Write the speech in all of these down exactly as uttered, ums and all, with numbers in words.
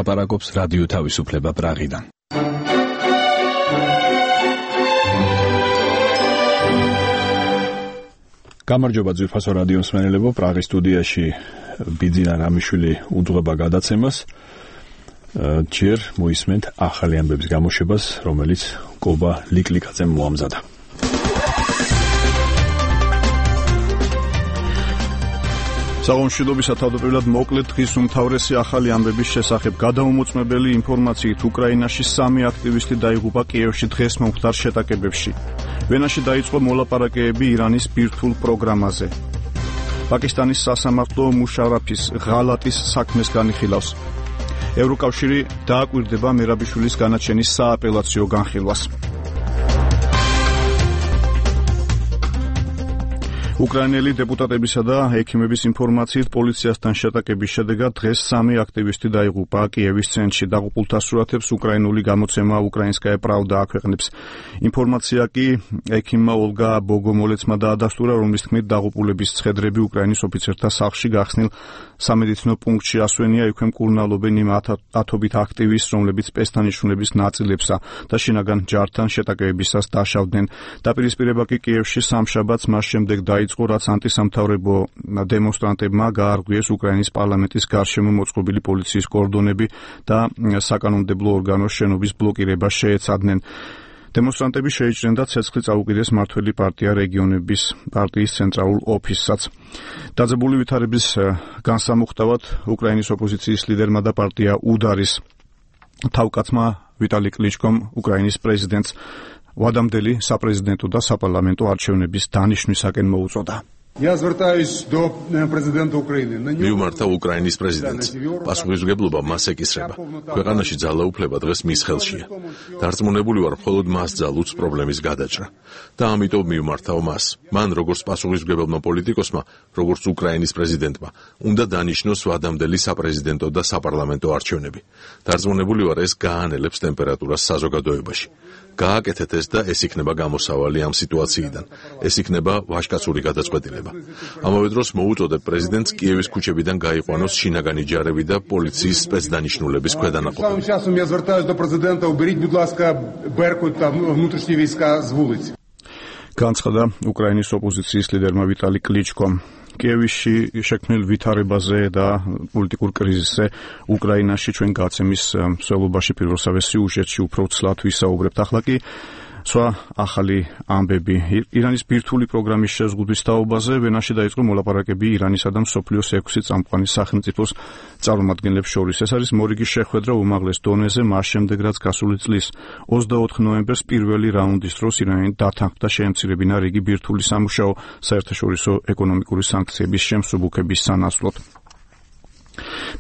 ლაპარაკობს რადიო თავისუფლება პრაღიდან. გამარჯობა ძვირფასო რადიო მსმენელებო, პრაღის სტუდიაში ბიძინა რამიშვილი უძღვება გადაცემას. ჯერ მოისმენთ ახალი ამბების გამოშვებას, რომელიც კობა ლიკლიკაძემ მოამზადა. საგონშიდობისა თავდაპირველად მოკლედ დღის უმთავრესი ახალი ამბების შესახებ. გადამომოწმებელი ინფორმაციით უკრაინაში სამი აქტივისტი დაიღუპა კიევში დღეს მომხდარ შეტაკებებში. ვენაში დაიწყო მოლაპარაკებები ირანის ბირთვულ პროგრამაზე. პაკისტანის სასამართლო მუშარაფის ღალატის საქმეს განიხილავს. ევროკავშირი დააკვირდება მერაბიშვილის განაჩენის სააპელაციო განხილვას. უკრაინელი დეპუტატებისა და ექიმების ინფორმაციით პოლიციასთან შეტაკების შედეგად დღეს სამი აქტივისტი დაიღუპა კიევის ცენტრში. დაღუპულთა სურათებს უკრაინული გამოცემა უკრაინსკაია პრავდა აქვეყნებს. ინფორმაცია კი ექიმმა ოლგა ბოგომოლეცმა დაადასტურა, რომლის თქმით დაღუპულების ცხედრები უკრაინის ოფიცერთა სახლში გახსნილ სამედიცინო პუნქტში ასვენია. იქვე მკურნალობენ იმ ათობით აქტივისტს, რომლებიც პესთანიშნულების ნაწილებსა და შინაგან ჯართან შეტაკებებისას დაშავდნენ. დაპირისპირება კი კიევში სამშაბათს მას შემდეგ დაიწყო, რაც ანტისამთავრებო დემონსტრანტებმა გაარღვიეს უკრაინის პარლამენტის გარშემო მოწყობილი პოლიციის კორდონები და საკანონმდებლო ორგანოს შენობის ბლოკირება შეეცადნენ. დემონსტრანტები შეიჭრნენ და ცეცხლი წაუკიდეს მართველი პარტია რეგიონების პარტიის ცენტრალურ ოფისსაც. დაძაბული ვითარების განსამუხტავად უკრაინის ოპოზიციის ლიდერმა და პარტია უდარის თავკაცმა ვიტალი კლიჩკომ უკრაინის პრეზიდენტს ვადამდელი საპრეზიდენტო და საპარლამენტო არჩევნების დანიშვნისაკენ მოუწოდა. მიუმართა უკრაინის პრეზიდენტს. პასუხისმგებლობა მას ეკისრება. ქვეყანაში ძალაუფლება დღეს მის ხელშია. დარწმუნებული ვარ, მხოლოდ მას ძალუძს პრობლემის გადაჭრა. და ამიტომ მიუმართავ მას. მან როგორც პასუხისმგებელმა პოლიტიკოსმა, როგორც უკრაინის პრეზიდენტმა, უნდა დანიშნოს ვადამდელი საპრეზიდენტო და საპარლამენტო არჩევნები. დარწმუნებული ვარ, ეს გაანელებს ტემპერატურას საზოგადოებაში. გააკეთეთ ეს და ეს იქნება გამოსავალი ამ სიტუაციიდან. ეს იქნება ვაჟკაცური გადაწყვეტილება. ამავე დროს მოუწოდებ პრეზიდენტს კიევის ქუჩებიდან გაიყვანოს შინაგანი ჯარები და პოლიციის სპეცდანიშნულების ქვედანაყოფები. განცხადა უკრაინის ოპოზიციის ლიდერმა ვიტალი კლიჩკომ. კიევში შექმნილ ვითარებაზე და პოლიტიკურ კრიზისზე უკრაინაში ჩვენ გაცემის მსვლელობაში პირველსავე სიუჟეტში უფრო ცლად ვისაუბრებთ. ახლა კი სხვა ახალი ამბები. ირანის ბირთვული პროგრამის შეზღუდვის თაობაზე ვენაში დაიწყო მოლაპარაკები ირანისა და მსოფლიოს ექვსი წამყვანი სახელმწიფოს წარმომადგენლებს შორის. ეს არის მორიგის შეხვედრა უმაღლეს დონეზე, მას შემდეგ რაც გასული წლის ოცდაოთხ ნოემბერს პირველი რაუნდის დროს ირანი დათანხმდა შეემცირებინა რიგი ბირთვული სამუშაო საერთაშორისო ეკონომიკური სანქციების შემსუბუქების სანაცვლოდ.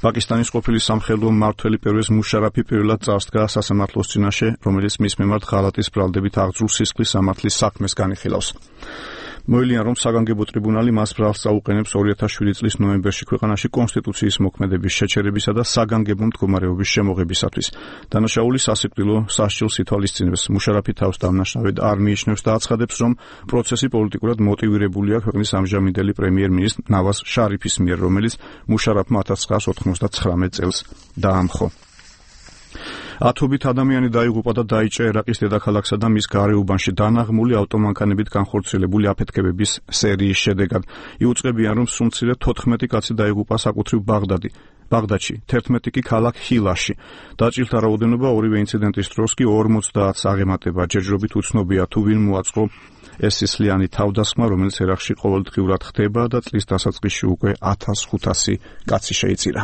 პაკისტანის ყოფილი სამხედრო მმართველი პერვეზ მუშარაფი პირველად წარსდგა სასამართლოს წინაშე, რომელიც მის მიმართ ღალატის ბრალდებით აღძრულ სისხლის სამართლის საქმეს განიხილავს. მოელიან, რომ საგანგებო ტრიბუნალი მას ბრალს წაუყენებს ორი ათას შვიდი წლის ნოემბერში ქვეყანაში კონსტიტუციის მოქმედების შეჩერებისა და საგანგებო მდგომარეობის შემოღებისათვის. დანაშაული სასიკვდილო სასჯელს ითვალისწინებს. მუშარაფი თავს დამნაშავედ არ მიიჩნევს და აცხადებს, რომ პროცესი პოლიტიკურად მოტივირებულია ქვეყნის ამჟამინდელი პრემიერ-მინისტრ ნავაზ შარიფის მიერ, რომელიც მუშარაფმა ათას ცხრაას ოთხმოცდათხრამეტ წელს დაამხო. ათობით ადამიანი დაიღუპა და დაიჭრა ერაყის დედაქალაქსა და მის გარეუბანში დანაღმული ავტომანქანებით განხორციელებული აფეთქებების სერიის შედეგად. იუწყებიან, რომ სულ თოთხმეტი კაცი დაიღუპა საკუთრივ ბაღდადი. ბაღდადში, თერთმეტი კი ქალაქ ჰილაში. დაჭრილთა რაოდენობა ორივე ინციდენტის დროს კი ორმოცდაათს აღემატება. ჯერჯერობით უცნობია თუ ვინ მოაწყო ეს სისხლიანი თავდასხმა, რომელიც ერაყში ყოველდღიურად ხდება და წლის დასაწყისში უკვე ათას ხუთასი კაცი შეიწირა.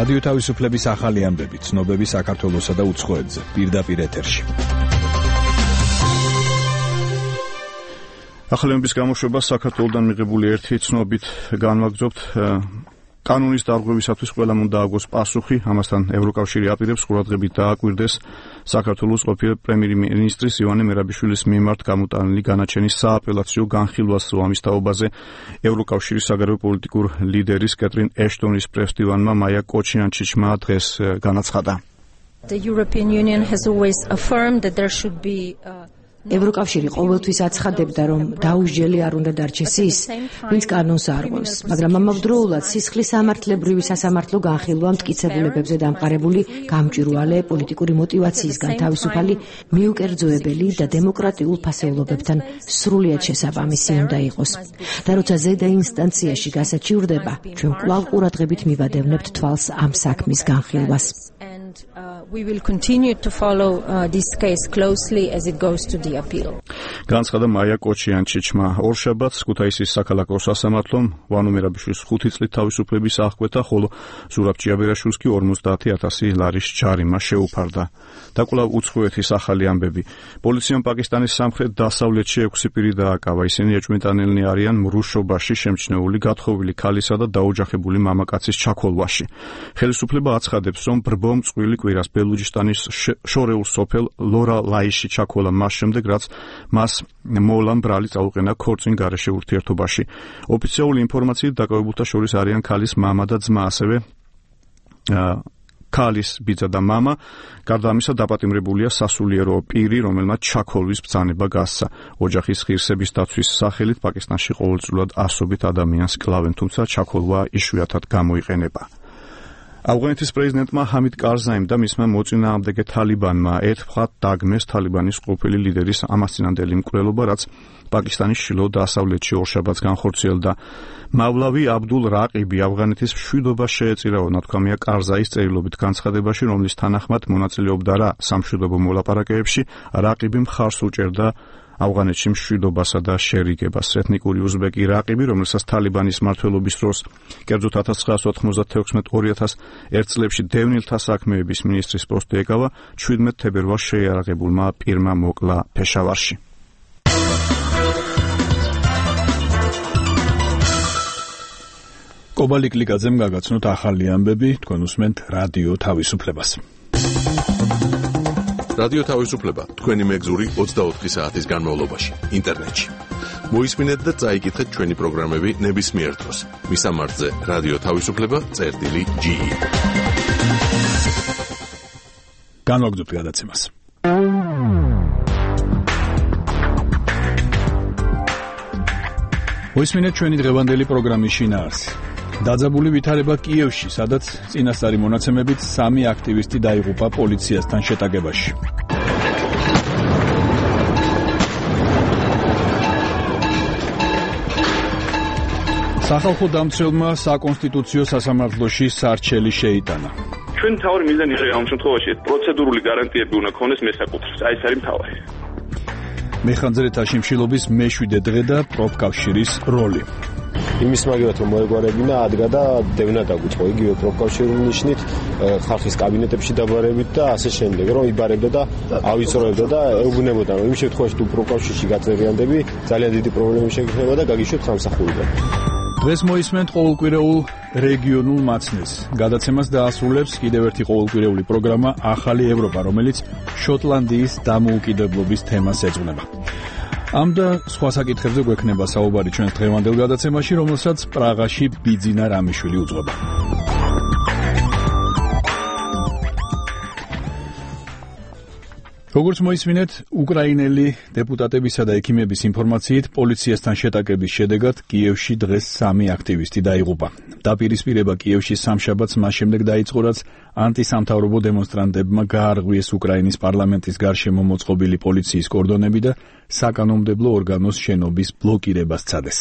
რადიო თავისუფლების ახალი ამბები, ცნობები საქართველოსა და უცხოეთზე, პირდაპირ ეთერში. ახალი ამბების გამოშვება საქართველოსთან მიღებული ერთი ცნობით განვაგრძობთ. კანონის დარღვევისათვის ყველამ უნდა აგოს პასუხი. ამასთან ევროკავშირი აპირებს ყურადღებით დააკვირდეს საქართველოს ყოფილი პრემიერ-მინისტრის ივანე მერაბიშვილის მიმართ გამოტანილი განაჩენის სააპელაციო განხილვას. ამის თაობაზე ევროკავშირის საგარეო პოლიტიკურ ლიდერის კეტრინ ეშტონის პრესდივანმა მაია კოჩიანჩიჩმა დღეს განაცხადა. The European Union has always affirmed that there should be uh... ევროკავშირი ყოველთვის აცხადებდა, რომ დაუსჯელი არ უნდა დარჩეს ის, ვინც კანონს არღვევს, მაგრამ ამავდროულად სისხლის სამართლებრივი სასამართლო განხილვა მტკიცებულებებზე დამყარებული გამჭვირვალე პოლიტიკური მოტივაციისგან თავისუფალი, მიუკერძოებელი და დემოკრატიულ ფასეულობებთან სრულიად შესაბამისი უნდა იყოს. და როცა ზედა ინსტანციაში გასაჩივრდება, ჩვენ კვლავ ყურადღებით მივადევნებთ თვალს ამ საქმის განხილვას. Uh, we will continue to follow uh, this case closely as it goes to the appeal. განცხადა მაია კოჩიანჩიჩმა ორშაბათს ქუთაისის საქალაქო სასამართლომ ვანო მერაბიშვილის ხუთი წლით თავისუფლების აღკვეთა, ხოლო ზურაბ ჭიაბერაშვილს კი ორმოცდაათი ათასი ლარის ჯარიმა შეუფარდა. და კვლავ უცხოეთის ახალი ამბები. პოლიციამ პაკისტანის სამხრეთ დასავლეთში ექვსი პირი დააკავა. ისინი ეჭვმიტანილნი არიან მრუშობაში შემჩნეული გათხოვილი ქალისა და დაოჯახებული მამაკაცის ჩაქოლვაში. ხელისუფლება აცხადებს, რომ ბრბომ წყვილი კვირას ბელუჯისტანის შორეულ სოფელ ლორა ლაიში ჩაქოლა მას შემდეგ, რაც მას მოვლა ბრალი წაუყენა ქორწინ გარეშე ურთიერთობაში. ოფიციალური ინფორმაციით დაკავებულთა შორის არიან ქალის მამა და ძმა, ასევე ქალის ბიძა და მამა. გარდა ამისა დაპატიმრებულია სასულიერო პირი, რომელმაც ჩაქოლვის ბრძანება გასცა. ოჯახის ღირსების დაცვის სახელით პაკისტანში ყოველწლიურად ასობით ადამიანს კლავენ, თუმცა ჩაქოლვა იშვიათად გამოიყენება. ავღანეთის პრეზიდენტმა ჰამიდ კარზაიმ და მისმა მოწინააღმდეგე თალიბანმა ერთხმად დაგმეს თალიბანის ყოფილი ლიდერის ამასწინანდელი მკვლელობა, რაც პაკისტანის შილო დასავლეთში ორშაბათს განხორციელდა. მავლავი აბდულ რაყიბი ავღანეთის მშვიდობას შეეწირაო, ნათქვამია კარზაის წერილობით განცხადებაში, რომლის თანახმად მონაწილეობდა რა სამშვიდობო მოლაპარაკებებში, რაყიბი მხარს უჭერდა ავღანეთში მშვიდობასა და შერიგებას. ეთნიკური უზბეკი რაყიბი, რომელსაც თალიბანის მმართველობის დროს, კერძოდ ათას ცხრაასი ოთხმოცდათექვსმეტ ორი ათას ერთ წლებში დევნილთა საქმეების მინისტრის პოსტი ეკავა, შვიდმეტ თებერვალს შეიარაღებულმა პირმა მოკლა ფეშავარში. კობა ლიკლიკაძემ გაგაცნოთ ახალი ამბები, თქვენ უსმენთ რადიო თავისუფლებას. რადიო თავისუფლება თქვენი მეგზური ოცდაოთხი საათის განმავლობაში ინტერნეტში. მოისმინეთ და წაიკითხეთ ჩვენი პროგრამები ნებისმიერ დროს. მისამართზე რადიო თავისუფლება წერტილი ჯი. განვაგრძობთ გადაცემას. მოისმინეთ ჩვენი დღევანდელი პროგრამის შინაარსი. დაძაბული ვითარება კიევში, სადაც წინასწარი მონაცემებით სამი აქტივისტი დაიღუპა პოლიციასთან შეტაკებაში. სახალხო დამცველმა საკონსტიტუციო სასამართლოში სარჩელი შეიტანა. ჩვენ თავი მიზანი იყო ამ შემთხვევაში პროცედურული გარანტიები უნდა ქონდეს მესაკუთრეს. აი ეს არის მთავარი. მეხანძრეთა შიმშილობის მეშვიდე დღე და პროფკავშირის როლი. იმის მაგათ რომ მოეგვარებინა ადგა და დევნა დაგვიწყო იგივე პროფკავშირული ნიშნით ხალხის კაბინეტებში დაბარებით და ასე შემდეგ, რომ იბარებდა და ავიწროებდა და ეუბნებოდა, რომ იმ შემთხვევაში თუ პროფკავშირში გაწერიანდები, ძალიან დიდი პრობლემები შეგეხება და გაგიშვათ სამსახურიდან. დღეს მოისმენთ ყოველკვირეულ რეგიონულ მაცნეს. გადაცემას დაასრულებს კიდევ ერთი ყოველკვირეული პროგრამა ახალი ევროპა, რომელიც შოტლანდიის დამოუკიდებლობის თემას ეძღვნება. ამ და სხვა საკითხებზე გვექნება საუბარი ჩვენს დღევანდელ გადაცემაში, რომელსაც პრაღაში ბიძინა რამიშვილი უძღვება. როგორც მოისმინეთ, უკრაინელი დეპუტატებისა და ექიმების ინფორმაციით, პოლიციასთან შეტაკების შედეგად კიევში დღეს სამი აქტივისტი დაიღუპა. დაპირისპირება კიევში სამშაბათს მას შემდეგ დაიწყო, რაც ანტისამთავრობო დემონსტრანტებმა გაარღვიეს უკრაინის პარლამენტის გარშემო მოწყობილი პოლიციის კორდონები და საკანონმდებლო ორგანოს შენობის ბლოკირება სცადეს.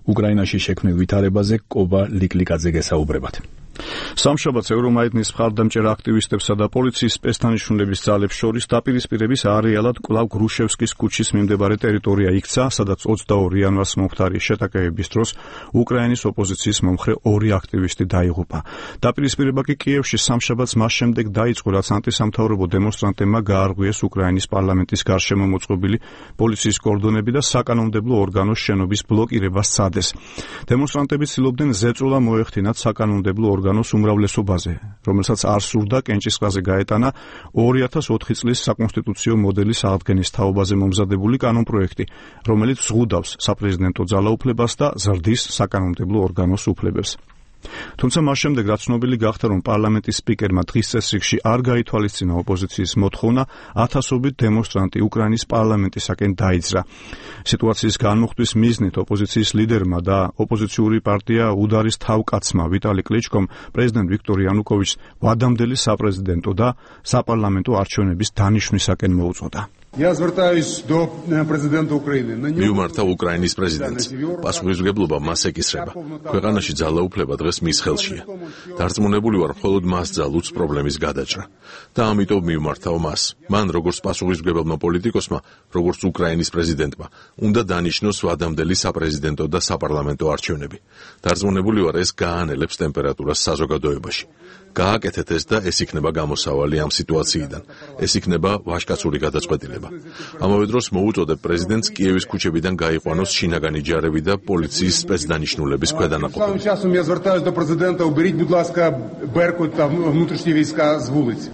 უკრაინაში შექმნილ ვითარებაზე კობა ლიკლიკაძე გესაუბრებათ. სამშაბათს ევრომაიდნის მხარდამჭერ აქტივისტებსა და პოლიციის სპეცთანიშნულების ძალებს შორის დაპირისპირების არეალად კვლავ გრუშევსკის ქუჩის მიმდებარე ტერიტორია იქცა, სადაც ოცდაორი იანვარს მომხდარი შეტაკებების დროს უკრაინის ოპოზიციის მომხრე ორი აქტივისტი დაიღუპა. დაპირისპირება კი კიევში სამშაბათს მას შემდეგ დაიწყო, რაც ანტისამთავრობო დემონსტრანტებმა გაარღვიეს უკრაინის პარლამენტის გარშემო მოწყობილი პოლიციის კორდონები და საკანონმდებლო ორგანოს შენობის ბლოკირება სცადეს. დემონსტრანტები ცდილობდნენ ზეწოლა მოეხდინათ საკანონმდებლო ორგანოს უმრავლესობაზე, რომელსაც არ სურდა კენჭისყრაზე გაეტანა ორი ათას ოთხი წლის საკონსტიტუციო მოდელის აღდგენის თაობაზე მომზადებული კანონპროექტი, რომელიც ზღუდავს საპრეზიდენტო ძალაუფლებას და ზრდის საკანონმდებლო ორგანოს უფლებებს. თუმცა მას შემდეგ რაც ცნობილი გახდა, რომ პარლამენტის სპიკერმა დღის წესრიგში არ გაითვალისწინა ოპოზიციის მოთხოვნა, ათასობით დემონსტრანტი უკრაინის პარლამენტისაკენ დაიძრა. სიტუაციის განმუხტვის მიზნით ოპოზიციის ლიდერმა და ოპოზიციური პარტია უდარის თავკაცმა ვიტალი კლიჩკომ პრეზიდენტ ვიქტორ იანუკოვიჩს ვადამდელი საპრეზიდენტო და საპარლამენტო არჩევნების დანიშვნისაკენ მოუწოდა. Я звертаюсь до президента Украины. მიუმართა უკრაინის პრეზიდენტს. პასუხისმგებლობა მას ეკისრება. ქვეყანაში ძალაუფლება დღეს მის ხელშია. დარწმუნებული ვარ, მხოლოდ მას ძალუძს პრობლემის გადაჭრა. და ამიტომ მიუმართავ მას. მან როგორც პასუხისმგებელმა პოლიტიკოსმა, როგორც უკრაინის პრეზიდენტმა, უნდა დანიშნოს ვადამდელი საპრეზიდენტო და საპარლამენტო არჩევნები. დარწმუნებული ვარ, ეს გაანელებს ტემპერატურას საზოგადოებაში. გააკეთეთ ეს და ეს იქნება გამოსავალი ამ სიტუაციიდან. ეს იქნება ვაჟკაცური გადაწყვეტილება. ამავე დროს მოუწოდებ პრეზიდენტს კიევის ქუჩებიდან გაიყვანოს შინაგანი ჯარები და პოლიციის სპეცდანიშნულების ქვედანაყოფები. Я звертаюсь до президента, уберіть, будь ласка, Беркут та внутрішні війська з вулиць.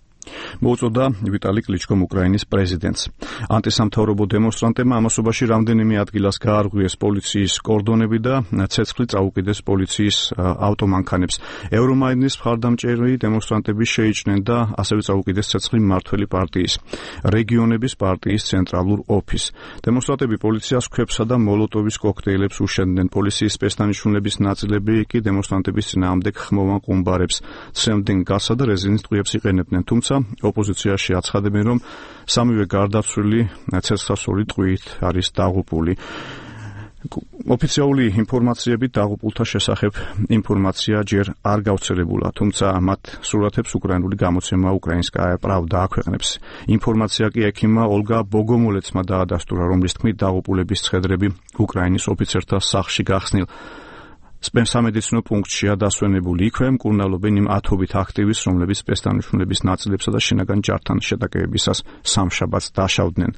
მოუწოდა ვიტალი კლიჩკომ უკრაინის პრეზიდენტს. ანტისამთავრობო დემონსტრანტებმა ამასობაში რამდენიმე ადგილას გაარღვიეს პოლიციის კორდონები და ცეცხლი წაუკიდეს პოლიციის ავტომანქანებს. ევრომაიდნის მხარდამჭერი დემონსტრანტები შეიჭრნენ და ასევე წაუკიდეს ცეცხლი მმართველი პარტიის რეგიონების პარტიის ცენტრალურ ოფისს. დემონსტრანტები პოლიციას ქვებსა და მოლოტოვის კოქტეილებს უშენდნენ. პოლიციის სპეცდანიშნულების ნაწილები კი დემონსტრანტების წინააღმდეგ ხმოვან ყუმბარებს, ცემდნენ გასა და რეზინის ტყვიებს იყენებდნენ. თუმცა ოპოზიციაში აცხადებენ, რომ სამივე გარდაცვლილი ცეცხლსასროლი ტყვიით არის დაღუპული. ოფიციალური ინფორმაციებით დაღუპულთა შესახებ ინფორმაცია ჯერ არ გავრცელებულა, თუმცა მათ სურათებს უკრაინული გამოცემა უკრაინსკაია პრავდა აქვეყნებს. ინფორმაცია კი ექიმმა ოლგა ბოგომოლეცმა დაადასტურა, რომლის თქმით დაღუპულების ცხედრები უკრაინის ოფიცერთა სახლში გახსნილ სამედიცინო პუნქტშია დასვენებული. იქვე მკურნალობენ იმ ათობით აქტივისტს, რომლებიც სპეცდანიშნულების ნაწილებსა და შინაგან ჯართან შეტაკებებისას სამშაბათს დაშავდნენ.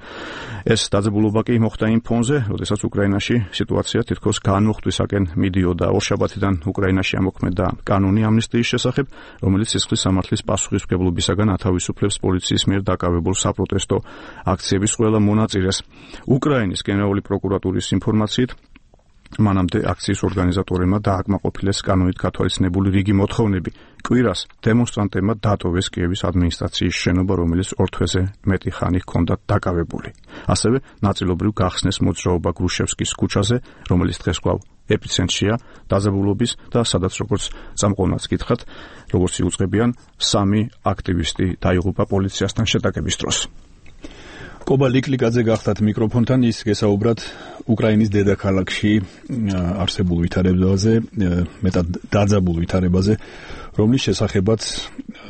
ეს დაძაბულობა კი მოხდა იმ ფონზე, როდესაც უკრაინაში სიტუაცია თითქოს განმუხტვისაკენ მიდიოდა. ორშაბათიდან უკრაინაში ამოქმედა კანონი ამნისტიის შესახებ, რომელიც სისხლის სამართლის პასუხისმგებლობისაგან ათავისუფლებს პოლიციის მიერ დაკავებულ საპროტესტო აქციების ყველა მონაწილეს. უკრაინის გენერალური პროკურატურის ინფორმაციით, მანამდე აქციის ორგანიზატორებმა დააკმაყოფილეს კანონით გათვალისწინებული რიგი მოთხოვნები. კვირას დემონსტრანტებმა დატოვეს კიევის ადმინისტრაციის შენობა, რომელიც ორ თვეზე მეტი ხანი ჰქონდათ დაკავებული. ასევე ნაწილობრივ გახსნეს მოძრაობა გრუშევსკის ქუჩაზე, რომელიც დღეს კვლავ ეპიცენტრია დაძაბულობის და სადაც როგორც წამყვანაც გითხრათ, როგორც იუწყებიან, სამი აქტივისტი დაიღუპა პოლიციასთან შეტაკების დროს. კობა ლიკლიკაძე გახდათ მიკროფონთან, ის გესაუბრათ უკრაინის დედაქალაქში არსებულ ვითარებაზე, მეტად დაძაბულ ვითარებაზე, რომლის შესახებაც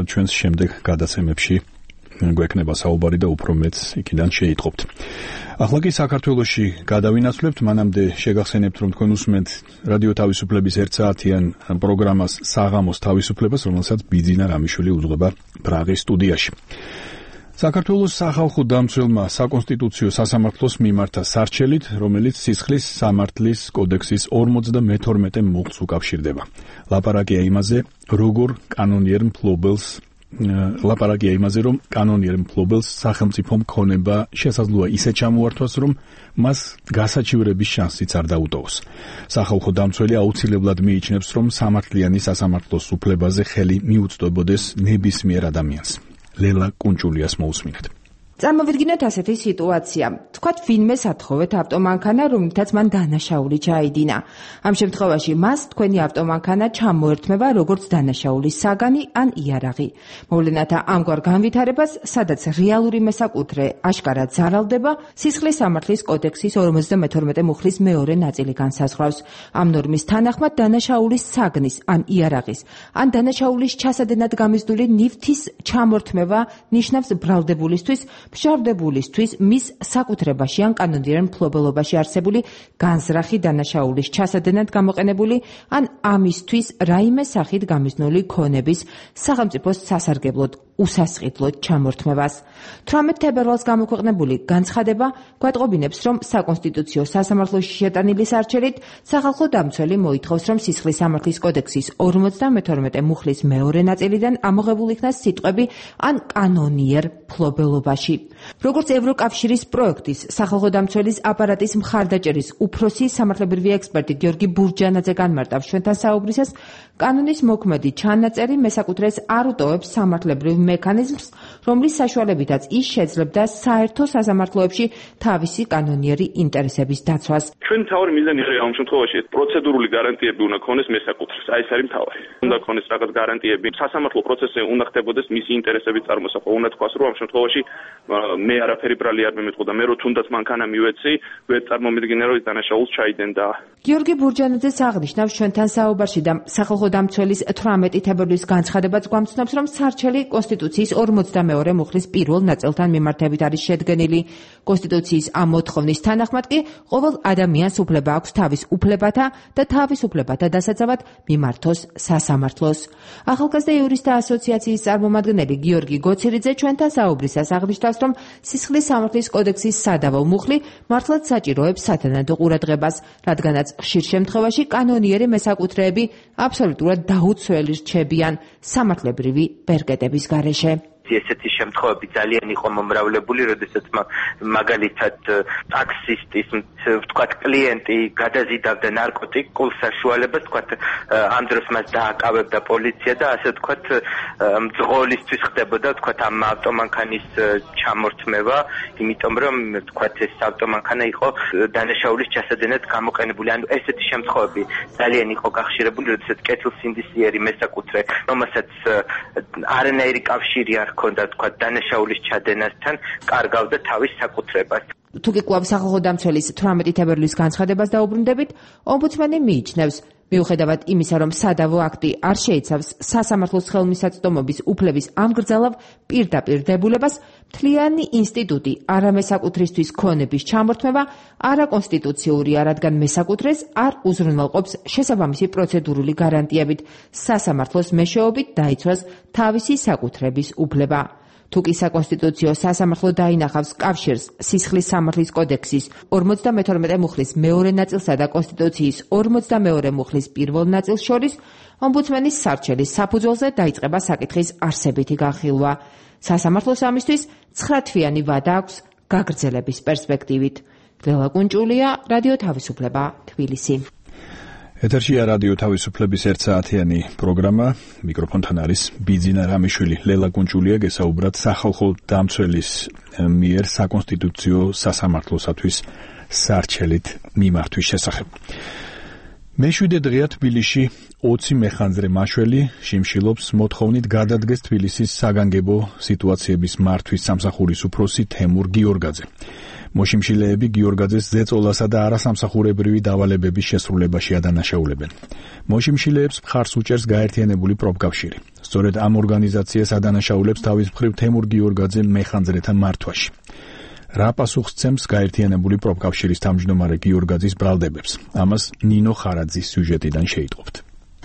ჩვენს შემდეგ გადაცემებში გვექნება საუბარი და უფრო მეც იქიდან შეიტყობთ. ახლა კი საქართველოში გადავინაცვლებთ, მანამდე შეგახსენებთ, რომ თქვენ უსმენთ რადიო თავისუფლების ერთ საათიან პროგრამას საღამოს თავისუფლებას, რომელსაც ბიძინა რამიშვილი უძღვება პრაღის სტუდიაში. საქართველოს სახალხო დამცველმა საკონსტიტუციო სასამართლოს მიმართა სარჩელით, რომელიც სისხლის სამართლის კოდექსის ორმოცდამეთორმეტე მუხტს უკავშირდება. ლაპარაკია იმაზე, როგორ კანონიერ მფლობელს ლაპარაკია იმაზე, რომ კანონიერ მფლობელს სახელმწიფო მქონება შესაძლოა ისე ჩამოართვას, რომ მას გასაჩივრების შანსიც არ დაუტოვოს. სახალხო დამცველი აუცილებლად მიიჩნევს, რომ სამართლიანი სასამართლოს უფლებაზე ხელი მიუწვდებოდეს ნებისმიერ ადამიანს. ლელა კუნჭულიას მოусმინეთ. წარმოვიდგინოთ ასეთი სიტუაცია. თქვათ ვინმე სათხოვეთ ავტომანქანა, რომლითაც მან დანაშაული ჩაიდინა. ამ შემთხვევაში მას თქვენი ავტომანქანა ჩამოერთმება როგორც დანაშაულის საგანი ან იარაღი. მოვლენათა ამგვარ განვითარებას, სადაც რეალური მესაკუთრე აშკარად ზარალდება, სისხლის სამართლის კოდექსის ორმოცდამეთორმეტე მუხლის მეორე ნაწილი განსაზღვრავს. ამ ნორმის თანახმად დანაშაულის საგნის ან იარაღის, ან დანაშაულის ჩასადენად გამიზნული ნივთის ჩამორთმევა ნიშნავს ბრალდებულისთვის, მშავდებულისთვის მის საკუთრებაში ან კანონიერ მფლობელობაში არსებული განზრახი დანაშაულის ჩასადენად გამოყენებული ან ამისთვის რაიმე სახით გამიზნული ქონების სახელმწიფოს სასარგებლოდ უსასყიდლოდ ჩამორთმევას. თვრამეტ თებერვალს გამოქვეყნებული განცხადება გვატყობინებს, რომ საკონსტიტუციო სასამართლოში შეტანილი სარჩელით სახალხო დამცველი მოითხოვს, რომ სისხლის სამართლის კოდექსის ორმოცდამეთორმეტე მუხლის მეორე ნაწილიდან ამოღებულ იქნას სიტყვები ან კანონიერ ფლობელობაში. როგორც ევროკავშირის პროექტის სახალხო დამცველის აპარატის მხარდაჭერის უფროსი სამართლებრივი ექსპერტი გიორგი ბურჯანაძე განმარტავს ჩვენთან საუბრისას, კანონის მოქმედი ჩანაწერი მესაკუთრეს არ უტოვებს სამართლებრივ მექანიზმს, რომლის საშუალებითაც ის შეძლებდა საერთო სასამართლოებში თავისი კანონიერი ინტერესების დაცვას. ჩვენ მთავარი მიზანი ამ შემთხვევაში პროცედურული გარანტიები უნდა ქონდეს მესაკუთრეს. აი ეს არის მთავარი. უნდა ქონდეს რაღაც გარანტიები. სასამართლო პროცესზე უნდა ხდებოდეს მისი ინტერესების წარმოსახვა. უნდა თქვას, რომ ამ შემთხვევაში მე არაფერი ბრალი არ მემეწყო და მე რო თუნდაც მანქანა მივეცი, ვერ წარმომიდგინე რომ ის დანაშაულს ჩაიდენდა. გიორგი ბურჯანაძეს აღნიშნავს ჩვენთან საუბარში და სახალხო დამცველის თვრამეტი თებერვლის განცხადებაც გვამცნობს, რომ სარჩელი კონსტიტუციის ორმოცდამეორე მუხლის პირველ ნაწილთან მიმართებით არის შედგენილი. კონსტიტუციის ამ მოთხოვნის თანახმად კი ყოველ ადამიანს უფლება აქვს თავის უფლებათა და თავისუფლებათა დასაცავად მიმართოს სასამართლოს. ახალგაზრდა იურისტთა ასოციაციის წარმომადგენელი გიორგი გოცირიძე ჩვენთან საუბრისას აღნიშნავს, რომ სისხლის სამართლის კოდექსის სადავო მუხლი მართლაც საჭიროებს სათანადო ყურადღებას, რადგანაც ხშირ შემთხვევაში კანონიერი მესაკუთრეები აბსოლუტურად დაუცველი რჩებიან სამართლებრივი ბერკეტების გარეშე. ესეთი შემთხვევები ძალიან იყო მომრავლებული, როდესაც მაგალითად ტაქსისტის ვთქვათ კლიენტი გადაზიდავდა ნარკოტიკულ საშუალებას, ვთქვათ ამ დროს მას დააკავებდა პოლიცია და ასე ვთქვათ მძღოლისთვის ხდებოდა ვთქვათ ამ ავტომანქანის ჩამორთმევა, იმიტომ რომ ვთქვათ ეს ავტომანქანა იყო დანაშაულის ჩასადენად გამოყენებული. ანუ ესეთი შემთხვევები ძალიან იყო გახშირებული, როდესაც კეთილსინდისიერი მესაკუთრე, რომელსაც არანაირი კავშირი არ ჰქონდა თქვათ დანაშაულის ჩადენასთან, კარგავდა თავის საკუთრებას. თუ კი კვლავ სახალხო დამცველის თვრამეტი თებერვლის განცხადებას დაუბრუნდებით, ომბუდსმენი მიიჩნევს, მიუხედავად იმისა, რომ სადავო აქტი არ შეიცავს სასამართლოს ხელმისაწვდომობის უფლების ამგრძალავ პირდაპირ დებულებას, მთლიანი ინსტიტუტი არამესაკუთრისთვის ქონების ჩამორთმევა არაკონსტიტუციურია, რადგან მესაკუთრეს არ უზრუნველყოფს შესაბამისი პროცედურული გარანტიებით, სასამართლოს მეშვეობით დაიცვას თავისი საკუთრების უფლება. თუ კი საკონსტიტუციო სასამართლო დაინახავს კავშირს სისხლის სამართლის კოდექსის ორმოცდამეთორმეტე მუხლის მეორე ნაწილსა და კონსტიტუციის ორმოცდამეორე მუხლის პირველ ნაწილს შორის, ომბუდსმენის სარჩელის საფუძველზე დაიწყება საკითხის არსებითი განხილვა. სასამართლოს ამისთვის ცხრათვიანი ვადა აქვს გაგრძელების პერსპექტივით. ლელა კუნჭულია, რადიო თავისუფლება, თბილისი. ეთერშია რადიო თავისუფლების ერთსაათიანი პროგრამა. მიკროფონთან არის ბიძინა რამიშვილი. ლელა კუნჭულია გესაუბრათ სახალხო დამცველის მიერ საკონსტიტუციო სასამართლოსათვის სარჩელით მიმართვის შესახებ. მეშვიდე დღეა თბილისში ოცი მეხანძრე მაშველი შიმშილობს მოთხოვნით გადადგეს თბილისის საგანგებო სიტუაციების მართვის სამსახურის უფროსი თემურ გიორგაძე. მოშიმშილეები გიორგაძეს ზეწოლასა და არასამსახურებრივი დავალებების შესრულებაში ადანაშაულებენ. მოშიმშილეებს მხარს უჭერს გაერთიანებული პროფკავშირი. სწორედ ამ ორგანიზაციას ადანაშაულებს თავის მხრივ თემურ გიორგაძე მეხანძრეთა მართვაში. რა პასუხს ცემს გაერთიანებული პროფკავშირის თავმჯდომარე გიორგაძის ბრალდებებს? ამას ნინო ხარაძის სიუჟეტიდან შეიტყობთ.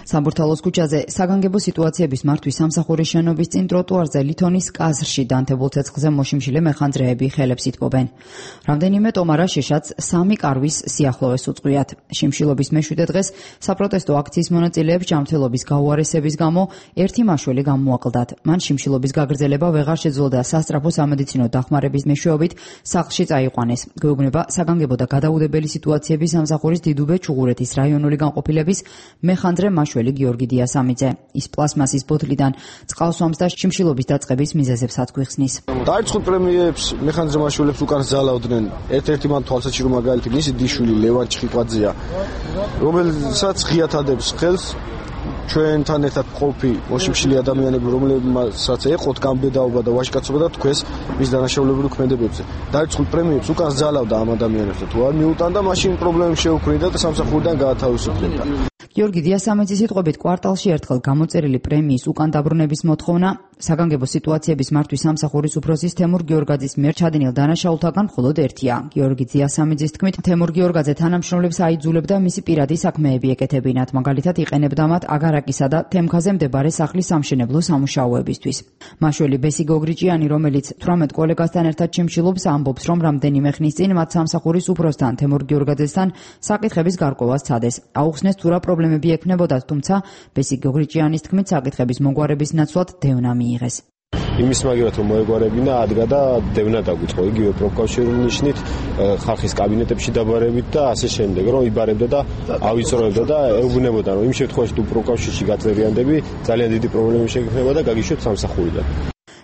სამბურთალოს ქუჩაზე საგანგებო სიტუაციების მართვის სამსახურის შენობის წინ ტროტუარზე ლითონის კაზრში დანთებულ ცეცხლზე მოშიმშილე მეხანძრეები ხელებს იტყობენ. რამდენიმე ტომარა შეშაც სამი კარვის სიახლოვეს უწყვიათ. შიმშილობის მეშვიდე დღეს საპროტესტო აქციის მონაწილეებს ჯანმრთელობის გაუარესების გამო ერთი მაშველი გამოაკლდათ. მან შიმშილობის გაგრძელება ვეღარ შეძლო და სასწრაფო სამედიცინო დახმარების მეშვეობით სახლში წაიყვანეს. გვეუბნება საგანგებო და გადაუდებელი სიტუაციების სამსახურის დიდუბე ჩუღურეთის რაიონული განყოფილების მეხანძრე მაშველი გიორგი დიასამიძე. ის პლასმასის ბოთლიდან წყალს ვამს და შიმშილობის დაწყების მიზეზებს ათქვიხსნის. დაიწყო პრემიებს მეხანძრე მაშველებს უკან ზალავდნენ. ერთ-ერთი მან თვალსაჩინო მაგალითი მისი დიშვილი ლევან ჩხიკვაძეა, რომელსაც ღიად ადებს ხელს ჩვენთან ერთად ყოფი მოშიმშილი ადამიანები, რომლებსაც ეყოთ გამბედაობა და ვაჟკაცობა და თქვეს მის დანაშაულებრივ ქმედებებზე. დაიწყო პრემიებს უკან ზალავდა ამ ადამიანებს და თუ არ მიუტანდა, მაშინ პრობლემები შეუქმნიდა და სამსახურიდან გაათავისუფლდა. გიორგი დიასამიძის სიტყვებით კვარტალში ერთხელ გამოწერილი პრემიის უკან დაბრუნების მოთხოვნა საგანგებო სიტუაციების მართვის სამსახურის უფროსის თემურ გიორგაძის მიერ ჩადინილ დანაშაულთაგან მხოლოდ ერთია. გიორგი ძიასამიძის თქმით, თემურ გიორგაძე თანამშრომლებს აიძულებდა მისი პირადი საქმეები ეკეთებინათ, მაგალითად იყენებდა მათ აგარაკისა და თემქაზე მდებარე სახლის სამშენებლო სამუშაოებისთვის. მაშველი ბესი გოგრიჭიანი, რომელიც თვრამეტ კოლეგასთან ერთად ჩიმშილობს, ამბობს, რომ რამდენიმე ხნის წინ მათ სამსახურის უფროსთან თემურ გიორგაძესთან საკითხების გარკვევა სცადეს. აუხსნეს თუ რა პრობლემები ექნებოდათ, თუმცა ბესი გოგრიჭიანის თქმით, საკითხების მოგვარების ნაცვლად დევნა მიიღეს. იმის მაგივრად რომ მოეგვარებინა, ადგა და დევნა დაგვიწყო იგივე პროფკავშირული ნიშნით, ხალხის კაბინეტებში დაბარებით და ასე შემდეგ, რომ იბარებდა და ავიწროებდა და ეუბნებოდა, რომ იმ შემთხვევაში თუ პროფკავშირში გაწერიანდები, ძალიან დიდი პრობლემები შეგექმნება და გაგიშვათ სამსახურიდან.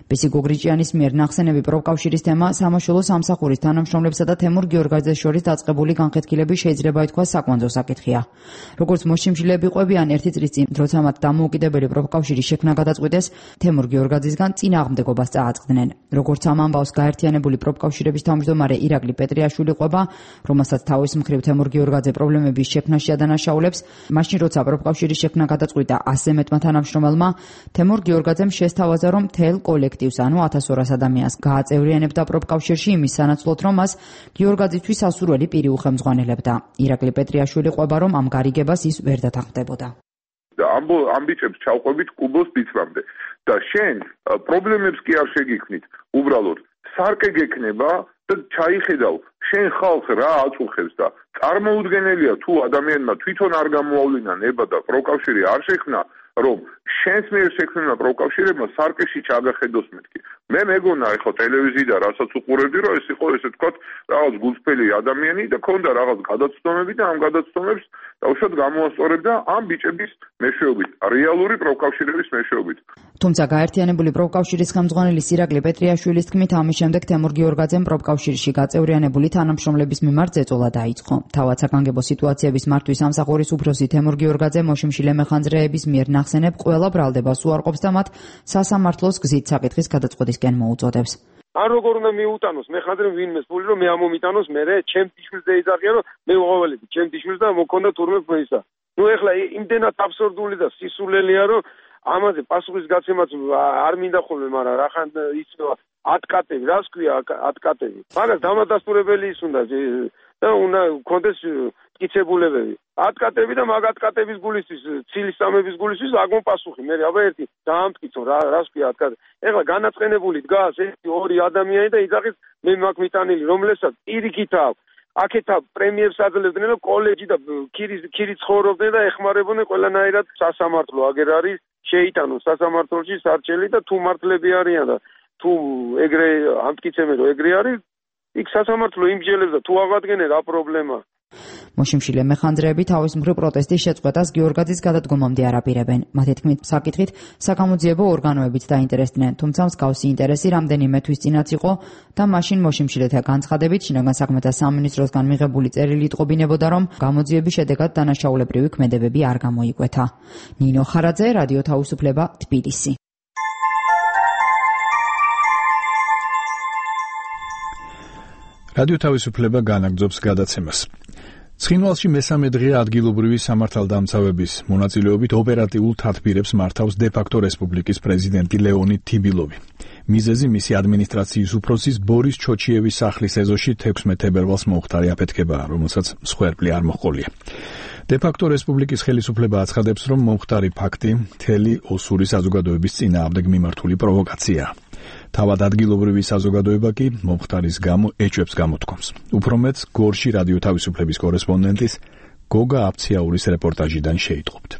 ბესი გოგრიჭიანის მიერ ნახსენები პროფკავშირის თემა სამაშველო სამსახურის თანამშრომლებსა და თემურ გიორგაძეს შორის დაწყებული განხეთქილების შეიძლება ითქვას საკვანძო საკითხია. როგორც მოშიმშილეები ყვებიან, ერთი წლის წინ, როცა მათ დამოუკიდებელი პროფკავშირის შექმნა გადაწყვიტეს, თემურ გიორგაძისგან წინააღმდეგობას წააწყდნენ. როგორც ამ ამბავს გაერთიანებული პროფკავშირების თავმჯდომარე ირაკლი პეტრიაშვილი ყვება, რომელსაც თავის მხრივ თემურ გიორგაძე პრობლემების შექმნაში ადანაშაულებს, მაშინ როცა პროფკავშირის შექმნა გადაწყვიტა ასზე მეტმა თანამშრომელმა, თემურ გიორგაძემ შესთავაზა, რომ მთელ კოლექტივს, ანუ ათას ორას ადამიანს გააწევრიანებდა პროფკავშირში იმის სანაცვლოდ, რომ მას გიორგაძისთვის სასურველი პირი უხელმძღვანელებდა. ირაკლი პეტრიაშვილი ყვება, რომ ამ გარიგებას ის ვერ დათანხმდებოდა. ამ ბიჭებს ჩავყვებით კუბოს ფიცრამდე და შენ პრობლემებს კი არ შეგიქმნით, უბრალოდ სარკე გექნება და ჩაიხედავ შენ ხალხ რა აწუხებს და წარმოუდგენელია თუ ადამიანმა თვითონ არ გამოავლინა ნება და პროფკავშირი არ შექმნა, რომ შენს მიერ შექმნილმა პროფკავშირებმა სარკეში ჩაგახედოს მეთქი. მე მეგონა ეხლა ტელევიზიიდან რასაც უყურებდი, რომ ეს იყო ესე თქვა რაღაც გულწრფელი ადამიანი და ქონდა რაღაც გადაცდომები და ამ გადაცდომებს დაუშვათ გამოასწორებდა ამ ბიჭების მეშვეობით, რეალური პროფკავშირების მეშვეობით. თუმცა გაერთიანებული პროფკავშირის ხელმძღვანელის ირაკლი პეტრიაშვილის თქმით, ამის შემდეგ თემურ გიორგაძემ პროფკავშირში გაწევრიანებული თანამშრომლების მიმართ ზეწოლა დაიწყო. თავად საგანგებო სიტუაციების მართვის სამსახურის უფროსი თემურ გიორგაძე მოშიმშილე მეხანძრეების მიერ ნახსენებ ყველა ბრალდებას უარყოფს და მათ სასამართლოს გზით საკითხის გადაწყვეტისკენ მოუწოდებს. არ როგორ უნდა მიუტანოს მეხანძრე ვინმეს ფული, რომ მე ამომიტანოს, მე ჩემ თიშვილს დაიძახია, რომ მე უღაველები ჩემ თიშვილს და მოგქონდა თურმე ფეისა. ნუ ეხლა იმდენად აბსურდული და სისულელია, რომ ამაზე პასუხის გაცემაც არ მინდა ხოლმე, მაგრამ რახან იცნება ატკატები, რას ქვია ატკატები. მაგას დამადასტურებელი ის უნდა და უნდა კონდეს მტკიცებულებები. ატკატები და მაგ ატკატების გულისთვის, ცილის სამების გულისთვის აგმო პასუხი. მე აბა ერთი დაამტკიცო რა რას ქვია ატკატები. ეხლა განაწყენებული დგას ერთი ორი ადამიანი და იძახის მე მაგ მიტანილი, რომელსაც პირიქით აქვს. აქეთა პრემიერს აძლევდნენ და კოლეჯი და ქირის ქირი ცხოვრობდნენ და ეხმარებოდნენ ყველანაირად სასამართლო აგერ არის შეიტანონ სასამართლოში სარჩელი და თუ მართლები არიან და თუ ეგრე ამტკიცებენ რომ ეგრე არის იქ სასამართლო იმჯელებს და თუ აღადგენენ რა პრობლემა. მოშიმშილე მეხანძრეები თავის მხრივ პროტესტის შეწყვეტას გიორგაძის გადადგომამდე არაპირებენ. მათი თქმით, საკითხით საკამოძიებო ორგანოებიც დაინტერესდნენ, თუმცა მსგავსი ინტერესი რამდენიმე თვის წინაც იყო და მაშინ მოშიმშილეთა განცხადებით შინაგან საქმეთა სამინისტროსგან მიღებული წერილი იტყობინებოდა, რომ გამოძიების შედეგად დანაშაულებრივი ქმედებები არ გამოიკვეთა. ნინო ხარაძე, რადიო თავისუფლება, თბილისი. რადიო თავისუფლება განაგრძობს გადაცემას. ცხინვალში მესამე დღეა ადგილობრივი სამართალდამცავების მონაწილეობით ოპერატიულ თათბირებს მართავს დე-ფაქტო რესპუბლიკის პრეზიდენტი ლეონიდ თიბილოვი. მიზეზი მისი ადმინისტრაციის უფროსის ბორის ჩოჩიევის სახლის ეზოში თექვსმეტ თებერვალს მოუხდარი აფეთქებაა, რომელსაც მსხვერპლი არ მოჰყოლია. დე-ფაქტო რესპუბლიკის ხელისუფლება აცხადებს, რომ მომხდარი ფაქტი მთელი ოსური საზოგადოების წინააღმდეგ მიმართული პროვოკაციაა. თავად ადგილობრივი საზოგადოება კი მომხდარის გამო ეჭვებს გამოთქვამს. უფრო მეც გორში რადიო თავისუფლების კორესპონდენტის გოგა აფციაურის რეპორტაჟიდან შეიტყობთ.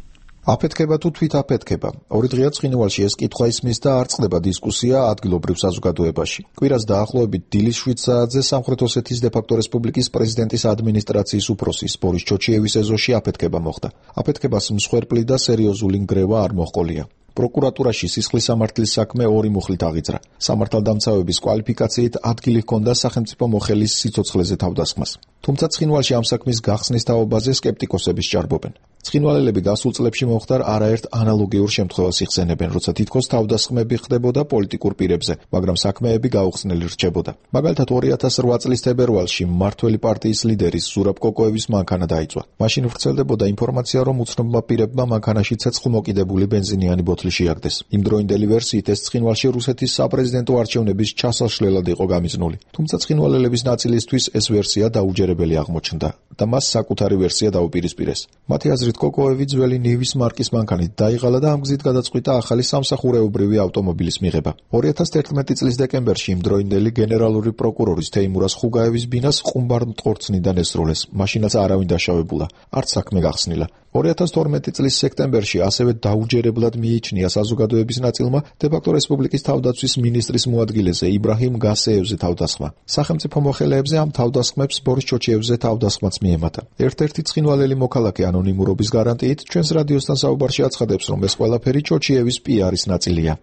აფეთქება თუ თვით აფეთქება. ორი დღეა ცხინვალში ეს კითხვა ისმის და არ წყდება დისკუსია ადგილობრივ საზოგადოებაში. კვირას დაახლოებით დილის შვიდ საათზე სამხრეთ ოსეთის დე-ფაქტო რესპუბლიკის პრეზიდენტის ადმინისტრაციის უფროსის ბორის ჩოჩიევის ეზოში აფეთქება მოხდა. აფეთქებას მსხვერპლი და სერიოზული ნგრევა არ მოჰყოლია. პროკურატურაში სისხლის სამართლის საქმე ორი მუხლით აღიძრა. სამართალდამცავების კვალიფიკაციით ადგილი ჰქონდა სახელმწიფო მოხელის სიცოცხლეზე თავდასხმას. თუმცა ცხინვალში ამ საქმის გახსნის თაობაზე სკეპტიკოსები სჭარბობენ. ცხინვალელები გასულ წლებში მომხდარ არაერთ ანალოგიურ შემთხვევას იხსენებენ, როცა თითქოს თავდასხმები ხდებოდა პოლიტიკურ პირებზე, მაგრამ საქმეები გაუხსნელი რჩებოდა. მაგალითად ორი ათას რვა წლის თებერვალში მმართველი პარტიის ლიდერის ზურაბ კოკოევის მანქანა დაიწვა. მაშინ ვრცელდებოდა ინფორმაცია, რომ უცნობმა პირებმა მანქანაში ცეცხლმოკიდებული ბენზინიანი ბოთლი შეაგდეს. იმდროინდელი ვერსიით ეს ცხინვალში რუსეთის საპრეზიდენტო არჩევნების ჩასაშლელად იყო გამიზნული. თუმცა ცხინვალელების ნაწილისთვის ეს ვერსია დაუჯერებელი აღმოჩნდა და მას საკუთარი ვერსია დაუპირისპირეს. მათი აზრით კოკოევი ძველი ნივის მარკის მანქანით დაიღალა და ამ გზით გადაწყვიტა ახალი სამსახურეობრივი ავტომობილის მიღება. ორი ათას თერთმეტი წლის დეკემბერში იმდროინდელი გენერალური პროკურორის თეიმურაზ ხუგაევის ბინას ყუმბარ-მტყორცნიდან ესროლეს. მაშინაც არავინ დაშავებულა, არც საქმე გახსნილა. ორი ათას თორმეტი წლის სექტემბერში ასევე დაუჯერებლად მიიჩნია საზოგადოების ნაწილმა დე-ფაქტო რესპუბლიკის თავდაცვის მინისტრის მოადგილეზე იბრაჰიმ გასეევზე თავდასხმა. სახელმწიფო მოხელეებზე ამ თავდასხმებს ბორის ჩოჩიევზე თავდასხმაც მიემატა. ერთ-ერთი ცხინვალელი მოქალაქე ანონიმურობის გარანტიით ჩვენს რადიოსთან საუბარში აცხადებს, რომ ეს ყველაფერი ჩოჩიევის პიარის ნაწილია.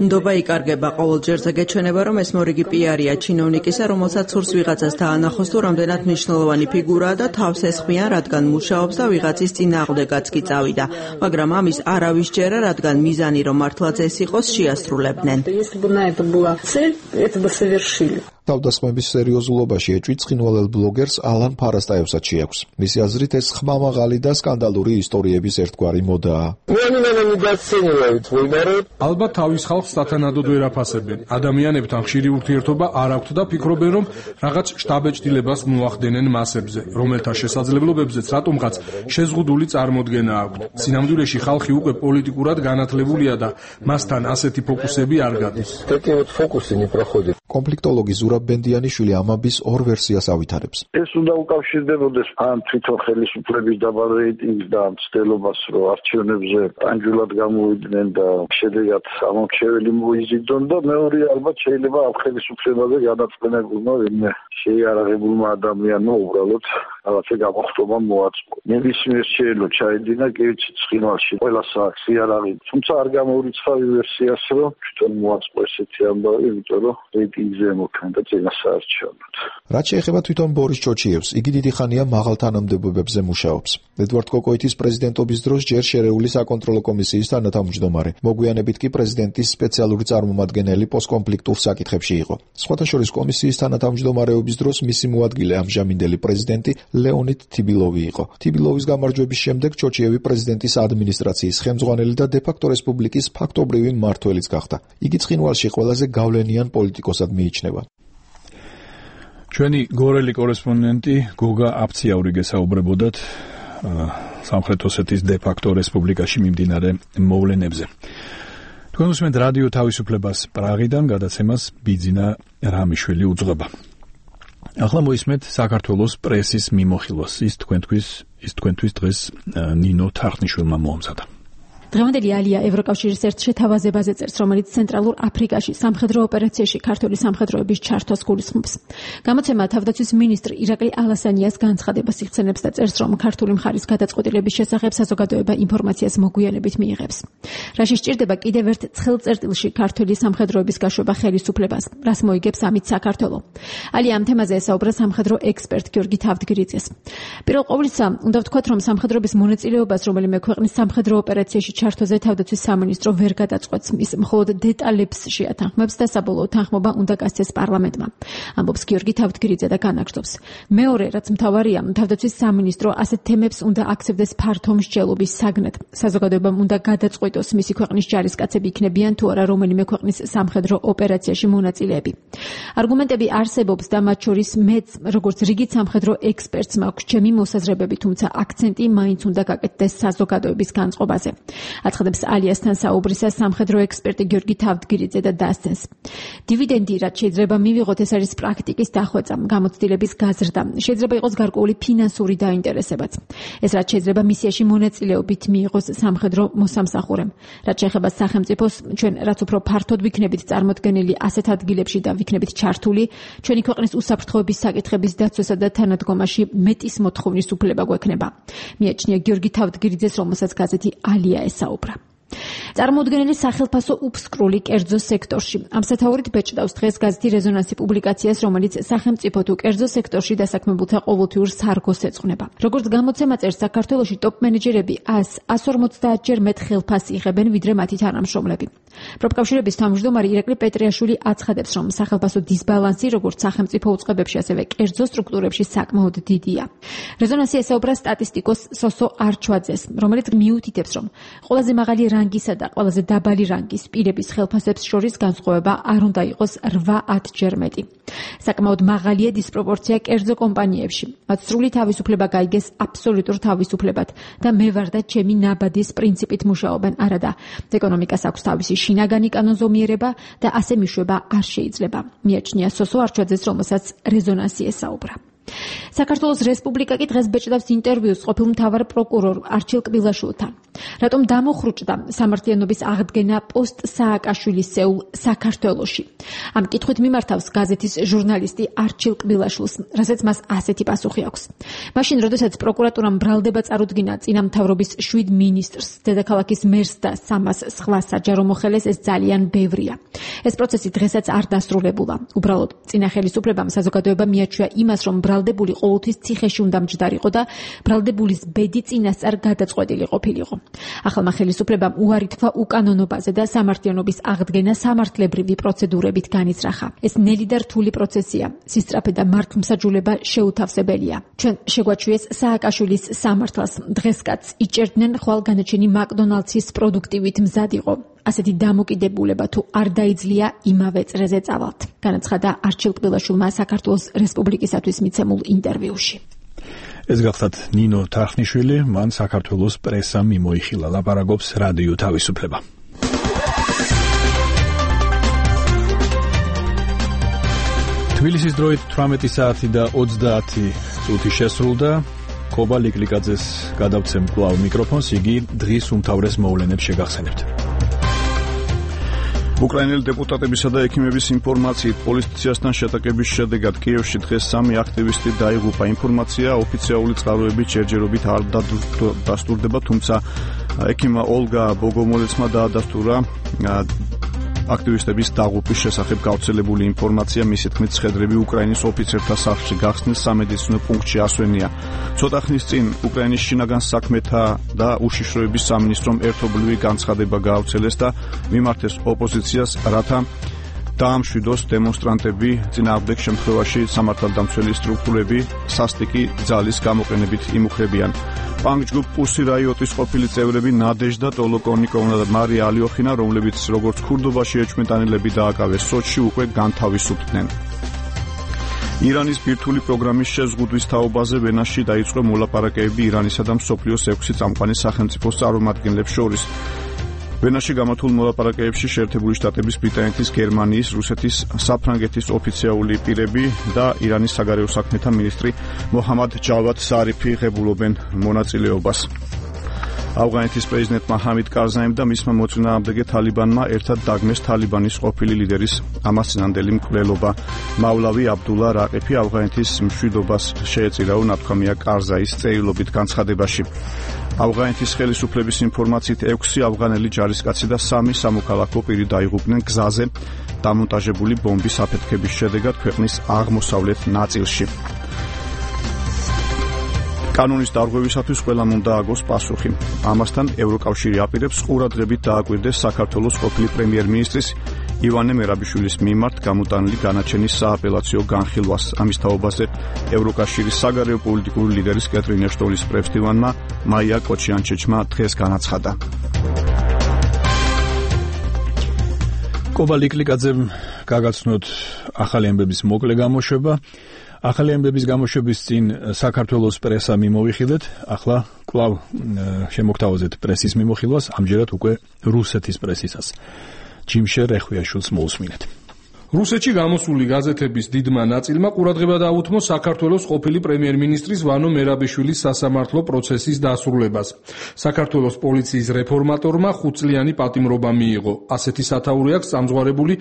ნდობა იკარგება, ყოველ ჯერზე გეჩვენება, რომ ეს მორიგი პიარია ჩინოვნიკისა, რომელსაც სურს ვიღაცას დაანახოს თუ რამდენად მნიშვნელოვანი ფიგურაა და თავს ესხმიან, რადგან მუშაობს და ვიღაცის წინააღმდეგაც კი წავიდა, მაგრამ ამის არავის ჯერა, რადგან მიზანი რომ მართლაც ეს იყოს, შეასრულებდნენ. თავდასხმების სერიოზულობაში ეჭვი ცხინვალელ ბლოგერს ალან ფარასტაევსაც შეაქვს. მისი აზრით ეს ხმამაღალი და სკანდალური ისტორიების ერთგვარი მოდაა. ალბათ თავის ხალხს სათანადოდ ვერ აფასებენ. ადამიანებთან ხშირი ურთიერთობა არ აქვთ და ფიქრობენ, რომ რაღაც შტაბეჭდილებას მოახდენენ მასებზე, რომელთა შესაძლებლობებზეც რატომღაც შეზღუდული წარმოდგენა აქვთ. სინამდვილეში ხალხი უკვე პოლიტიკურად განათლებულია და მასთან ასეთი ფოკუსები არ გადის. კონფლიქტოლოგი ზურაბ ბენდიანიშვილი ამაბის ორ ვერსიას ავითარებს. ეს უნდა უკავშირდებოდეს ან თვითონ ხელისუფლების დაბალ რეიტინგს და მცდელობას, რომ არჩევნებზე პანჯულად გამოვიდნენ და შედეგად ამორჩეველი მოიზიდონ და მეორე ალბათ შეიძლება ამ ხელისუფლებაზე განაწყენებულმა ვინმე შეიარაღებულმა ადამიანმა უბრალოდ რაღაცა გამოხტობა მოაწყო. ნებისმიერ შეიძლება ჩაედინა კივიც ცხინვალში ყველა საქმე იარაღი, თუმცა არ გამოურიცხავი ვერსიას, რომ თვითონ მოაწყო ესეთი ამბავი, იმიტომ რომ რეიტინგზე მოქმედა წინასაარჩევნოდ. რაც შეეხება თვითონ ბორის ჩოჩიევს, იგი დიდი ხანია მაღალ თანამდებობებზე მუშაობს. ედვარდ კოკოიტის პრეზიდენტობის დროს ჯერ შერეული საკონტროლო კომისიის თანათავმჯდომარე, მოგვიანებით კი პრეზიდენტის სპეციალური წარმომადგენელი პოსტკონფლიქტურ საკითხებში იყო. სხვათა შორის კომისიის თანათავმჯდომარეობის დროს მისი მოადგილე ამჟამინდელი პრეზიდენტი ლეონიდ თიბილოვი იყო. თიბილოვის გამარჯვების შემდეგ ჩოჩიევი პრეზიდენტის ადმინისტრაციის ხელმძღვანელი და დე-ფაქტო რესპუბლიკის ფაქტობრივი მმართველიც გახდა. იგი ცხინვალში ყველაზე გავლენიან პოლიტიკოსად მიიჩნევა. ჩვენი გორელი კორესპონდენტი გოგა აფციაური გესაუბრებოდათ სამხრეთ ოსეთის დე-ფაქტო რესპუბლიკაში მიმდინარე მოვლენებზე. თქვენ უსმენთ რადიო თავისუფლებას პრაღიდან, გადაცემას ბიძინა რამიშვილი უძღვება. ახლა მოისმენთ საქართველოს პრესის მიმოხილვას. ის თქვენთვის ის თქვენთვის დღეს ნინო თარხნიშვილმა მოამზადა. დღევანდელი ალია ევროკავშირის ერთ შეთავაზებაზე წერს, რომელიც ცენტრალურ აფრიკაში სამხედრო ოპერაციაში ქართული სამხედროების ჩართვას გულისხმობს. გამოცემა თავდაცვის მინისტრი ირაკლი ალასანიას განცხადებას იხსენებს და წერს, რომ ქართული მხარის გადაწყვეტილების შესახებ საზოგადოება ინფორმაციას მოგვიანებით მიიღებს. რაში სჭირდება კიდევ ერთ ცხელ წერტილში ქართული სამხედროების გაშვება ხელისუფლებას, რას მოიგებს ამით საქართველო. ალია ამ თემაზე ესაუბრა სამხედრო ექსპერტ გიორგი თავდგირიძეს. პირველ ყოვლისა, უნდა ვთქვათ, რომ სამხედროების მონაწილეობას რომელიმე ქვეყნის სამხედრო ოპერაციაში ჩართვაზე თავდაცვის სამინისტრო ვერ გადაწყვეტს, ის მხოლოდ დეტალებს შეათანხმებს და საბოლოო თანხმობა უნდა გასცეს პარლამენტმა. ამბობს გიორგი თავდგირიძე და განაგრძობს. მეორე, რაც მთავარია, თავდაცვის სამინისტრო ასეთ თემებს უნდა აქცევდეს ფართო მსჯელობის საგნად. საზოგადოებამ უნდა გადაწყვეტოს მისი ქვეყნის ჯარისკაცები იქნებიან თუ არა რომელიმე ქვეყნის სამხედრო ოპერაციაში მონაწილეები. არგუმენტები არსებობს და მათ შორის მეც, როგორც რიგით სამხედრო ექსპერტს მაქვს ჩემი მოსაზრებები, თუმცა აქცენტი მაინც უნდა გაკეთდეს საზოგადოების განწყობაზე. აცხადებს ალიასთან საუბრისას სამხედრო ექსპერტი გიორგი თავდგირიძე და დასცენს. დივიდენდი, რაც შეიძლება მივიღოთ, ეს არის პრაქტიკის დახვეწა, გამოცდილების გაზრდა, შეიძლება იყოს გარკვეული ფინანსური დაინტერესებაც. ეს რაც შეიძლება მისიაში მონაწილეობით მიიღოს სამხედრო მოსამსახურემ. რაც შეეხება სახელმწიფოს, ჩვენ რაც უფრო ფართოდ ვიქნებით წარმოდგენილი ასეთ ადგილებში და ვიქნებით ჩართული, ჩვენი ქვეყნის უსაფრთხოების საკითხების დაცვასა და თანადგომაში მეტის მოთხოვნის უფლება გვექნება. მიაჩნია გიორგი თავდგირიძეს, რომელსაც გაზეთი ალია ესაუბრა. წარმოუდგენელი სახელფასო უფსკრული კერძო სექტორში. ამ სათაურით ბეჭდავს დღეს გაზეთი რეზონანსი პუბლიკაციას, რომელიც სახელმწიფო თუ კერძო სექტორში დასაქმებულთა ყოველთვიურ სარგოს ეძღვნება. როგორც გამოცემა წერს, საქართველოში ტოპ მენეჯერები ას ორმოცდაათ ჯერ მეტ ხელფასს იღებენ, ვიდრე მათი თანამშრომლები. პროფკავშირების თავმჯდომარე ირაკლი პეტრიაშვილი აცხადებს, რომ სახელფასო დისბალანსი როგორც სახელმწიფო უწყებებში, ასევე კერძო სტრუქტურებში საკმაოდ დიდია. რეზონანსი ესაუბრა სტატისტიკოს სოსო არჩვაძეს, რომელიც მიუთითებს, რომ ყველაზე მაღალი რანგისა და ყველაზე დაბალი რანგის პირების ხელფასებს შორის განსხვავება არ უნდა იყოს რვა-ათ ჯერ მეტი. საკმაოდ მაღალია დისპროპორცია კერძო კომპანიებში. მათ სრული თავისუფლება გაიგეს აბსოლუტურ თავისუფლებად და მე ვარ და ჩემი ნაბადის პრინციპით მუშაობენ, არადა ეკონომიკას აქვს თავისი შინაგანი კანონზომიერება და ასე მიშვება არ შეიძლება. მიაჩნია სოსო არჩვაძეს, რომელსაც რეზონანსი ესაუბრა. საქართველოს რესპუბლიკა კი დღეს ბეჭდავს ინტერვიუს ყოფილ მთავარ პროკურორ არჩილ კბილაშვილთან. რატომ დამოხრუჭდა სამართლიანობის აღდგენა პოსტ სააკაშვილისეულ საქართველოში? ამ კითხვით მიმართავს გაზეთის ჟურნალისტი არჩილ კბილაშვილს, რასაც მას ასეთი პასუხი აქვს. მაშინ, როდესაც პროკურატურამ ბრალდება წარუდგინა წინამთავრობის შვიდ მინისტრს, დედაქალაქის მერს და სამას სხვა საჯარო მოხელეს, ეს ძალიან ბევრია. ეს პროცესი დღესაც არ დასრულებულა. უბრალოდ წინა ხელისუფლებამ საზოგადოება მიაჩვია იმას, რომ ბრალდებული ყოველთვის ციხეში უნდა მჯდარიყო და ბრალდებულის ბედი წინასწარ გადაწყვეტილი ყოფილიყო. ახალმა ხელისუფლებამ უარი თქვა უკანონობაზე და სამართლიანობის აღდგენა სამართლებრივი პროცედურებით განიზრახა. ეს ნელი და რთული პროცესია. სისწრაფე და მართლმსაჯულება შეუთავსებელია. ჩვენ შეგვაჩვიეს სააკაშვილის სამართალს. დღესკაც იჭერდნენ ხვალ განაჩენი მაკდონალდსის პროდუქტივით მზად იყო. ასეთი დამოკიდებულება თუ არ დაიძლია, იმავე წრეზე წავალთ. განაცხადა არჩილ კბილაშვილმა საქართველოს რესპუბლიკისათვის მიცემულ ინტერვიუში. ეს გახლავთ ნინო თარხნიშვილი, მან საქართველოს პრესამ მიმოიხილა, ლაპარაკობს რადიო თავისუფლება. თბილისის დროით თვრამეტი საათი და ოცდაათი წუთი შესრულდა. კობა ლიკლიკაძეს გადავცემ კვლავ მიკროფონს, იგი დღის უმთავრეს მოვლენებს შეგახსენებთ. უკრაინელი დეპუტატებისა და ექიმების ინფორმაციით პოლიციასთან შეტაკების შედეგად კიევში დღეს სამი აქტივისტი დაიღუპა. ინფორმაცია ოფიციალური წყაროებით ჯერჯერობით არ დასტურდება, თუმცა ექიმა ოლგა ბოგომოლეცმა დაადასტურა აქტივისტების დაღუპვის შესახებ გავრცელებული ინფორმაცია. მისი თქმით, ცხედრები უკრაინის ოფიცერთა სახლში გახსნის სამედიცინო პუნქტში ასვენია. ცოტა ხნის წინ უკრაინის შინაგან საქმეთა და უშიშროების სამინისტრომ ერთობლივი განცხადება გაავრცელეს და მიმართეს ოპოზიციას, რათა დაამშვიდოს დემონსტრანტები, წინააღმდეგ შემთხვევაში სამართალდამცველი სტრუქტურები სასტიკი ძალის გამოყენებით იმუქრებიან. პანკ-ჯგუფ პუსი რაიოტის ყოფილი წევრები ნადეჟდა ტოლოკონიკოვნა და მარია ალიოხინა, რომლებიც როგორც ქურდობაში ეჭვმეტანილები დააკავეს სოჩში, უკვე განთავისუფლდნენ. ირანის ბირთვული პროგრამის შეზღუდვის თაობაზე ვენაში დაიწყო მოლაპარაკებები ირანისა და მსოფლიოს ექვსი წამყვანი სახელმწიფოს წარმომადგენლებს შორის. ვენაში გამართულ მოლაპარაკებებში შეერთებული შტატების, ბრიტანეთის, გერმანიის, რუსეთის, საფრანგეთის ოფიციალური პირები და ირანის საგარეო საქმეთა მინისტრი მოჰამად ჯავად ზარიფი ღებულობენ მონაწილეობას. ავღანეთის პრეზიდენტმა ჰამიდ კარზაიმ და მისმა მოწინააღმდეგე თალიბანმა ერთად დაგმეს თალიბანის ყოფილი ლიდერის ამასწინანდელი მკვლელობა. მავლავი აბდულა რაყიფი ავღანეთის მშვიდობას შეეწირაო, ნათქვამია კარზაის წერილობით განცხადებაში. ავღანეთის ხელისუფლების ინფორმაციით ექვსი ავღანელი ჯარისკაცი და სამი სამოქალაქო პირი დაიღუპნენ გზაზე დამონტაჟებული ბომბის აფეთქების შედეგად ქვეყნის აღმოსავლეთ ნაწილში. კანონის დარღვევისათვის ყველამ უნდა აგოს პასუხი. ამასთან ევროკავშირი აპირებს ყურადღებით დააკვირდეს საქართველოს ყოფილი პრემიერ-მინისტრის ივანე მერაბიშვილის მიმართ გამოტანილი განაჩენის სააპელაციო განხილვას. ამის თაობაზე ევროკავშირის საგარეო პოლიტიკური ლიდერის კეტრინ ეშტონის პრესდივანმა მაია კოჩიანჩეჩმა დღეს განაცხადა. კობა ლიკლიკაძემ გაგაცნოთ ახალი ამბების მოკლე გამოშვება. ახალი ამბების გამოშვების წინ საქართველოს პრესა მიმოვიხილეთ, ახლა კვლავ შემოგთავაზეთ პრესის მიმოხილვას, ამჯერად უკვე რუსეთის პრესისას. ჯიმშერ ეხვიაშვილს მოусმინეთ. რუსეთში გამოსული გაზეთების დიდმა ნაწილმა ყურადღება დაუთმო საქართველოს ყოფილი პრემიერ-მინისტრის ვანო მერაბიშვილის სასამართლო პროცესის დასრულებას. საქართველოს პოლიციის რეფორმატორმა ხუთწლიანი პატიმრობა მიიღო. ასეთი სათაური აქვს წამზღარებული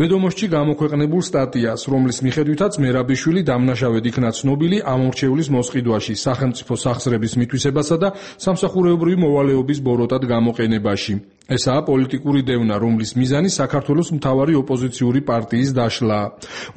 ვედომოსტში გამოქვეყნებულ სტატიას, რომლის მიხედვითაც მერაბიშვილი დამნაშავედ იქნა ცნობილი ამორჩევლის მოსყიდვაში, სახელმწიფო სახსრების მითვისებასა და სამსახურეობრივი მოვალეობის ბოროტად გამოყენებაში. ესაა პოლიტიკური დევნა, რომლის მიზანი საქართველოს მთავარი ოპოზიციური პარტიის დაშლაა.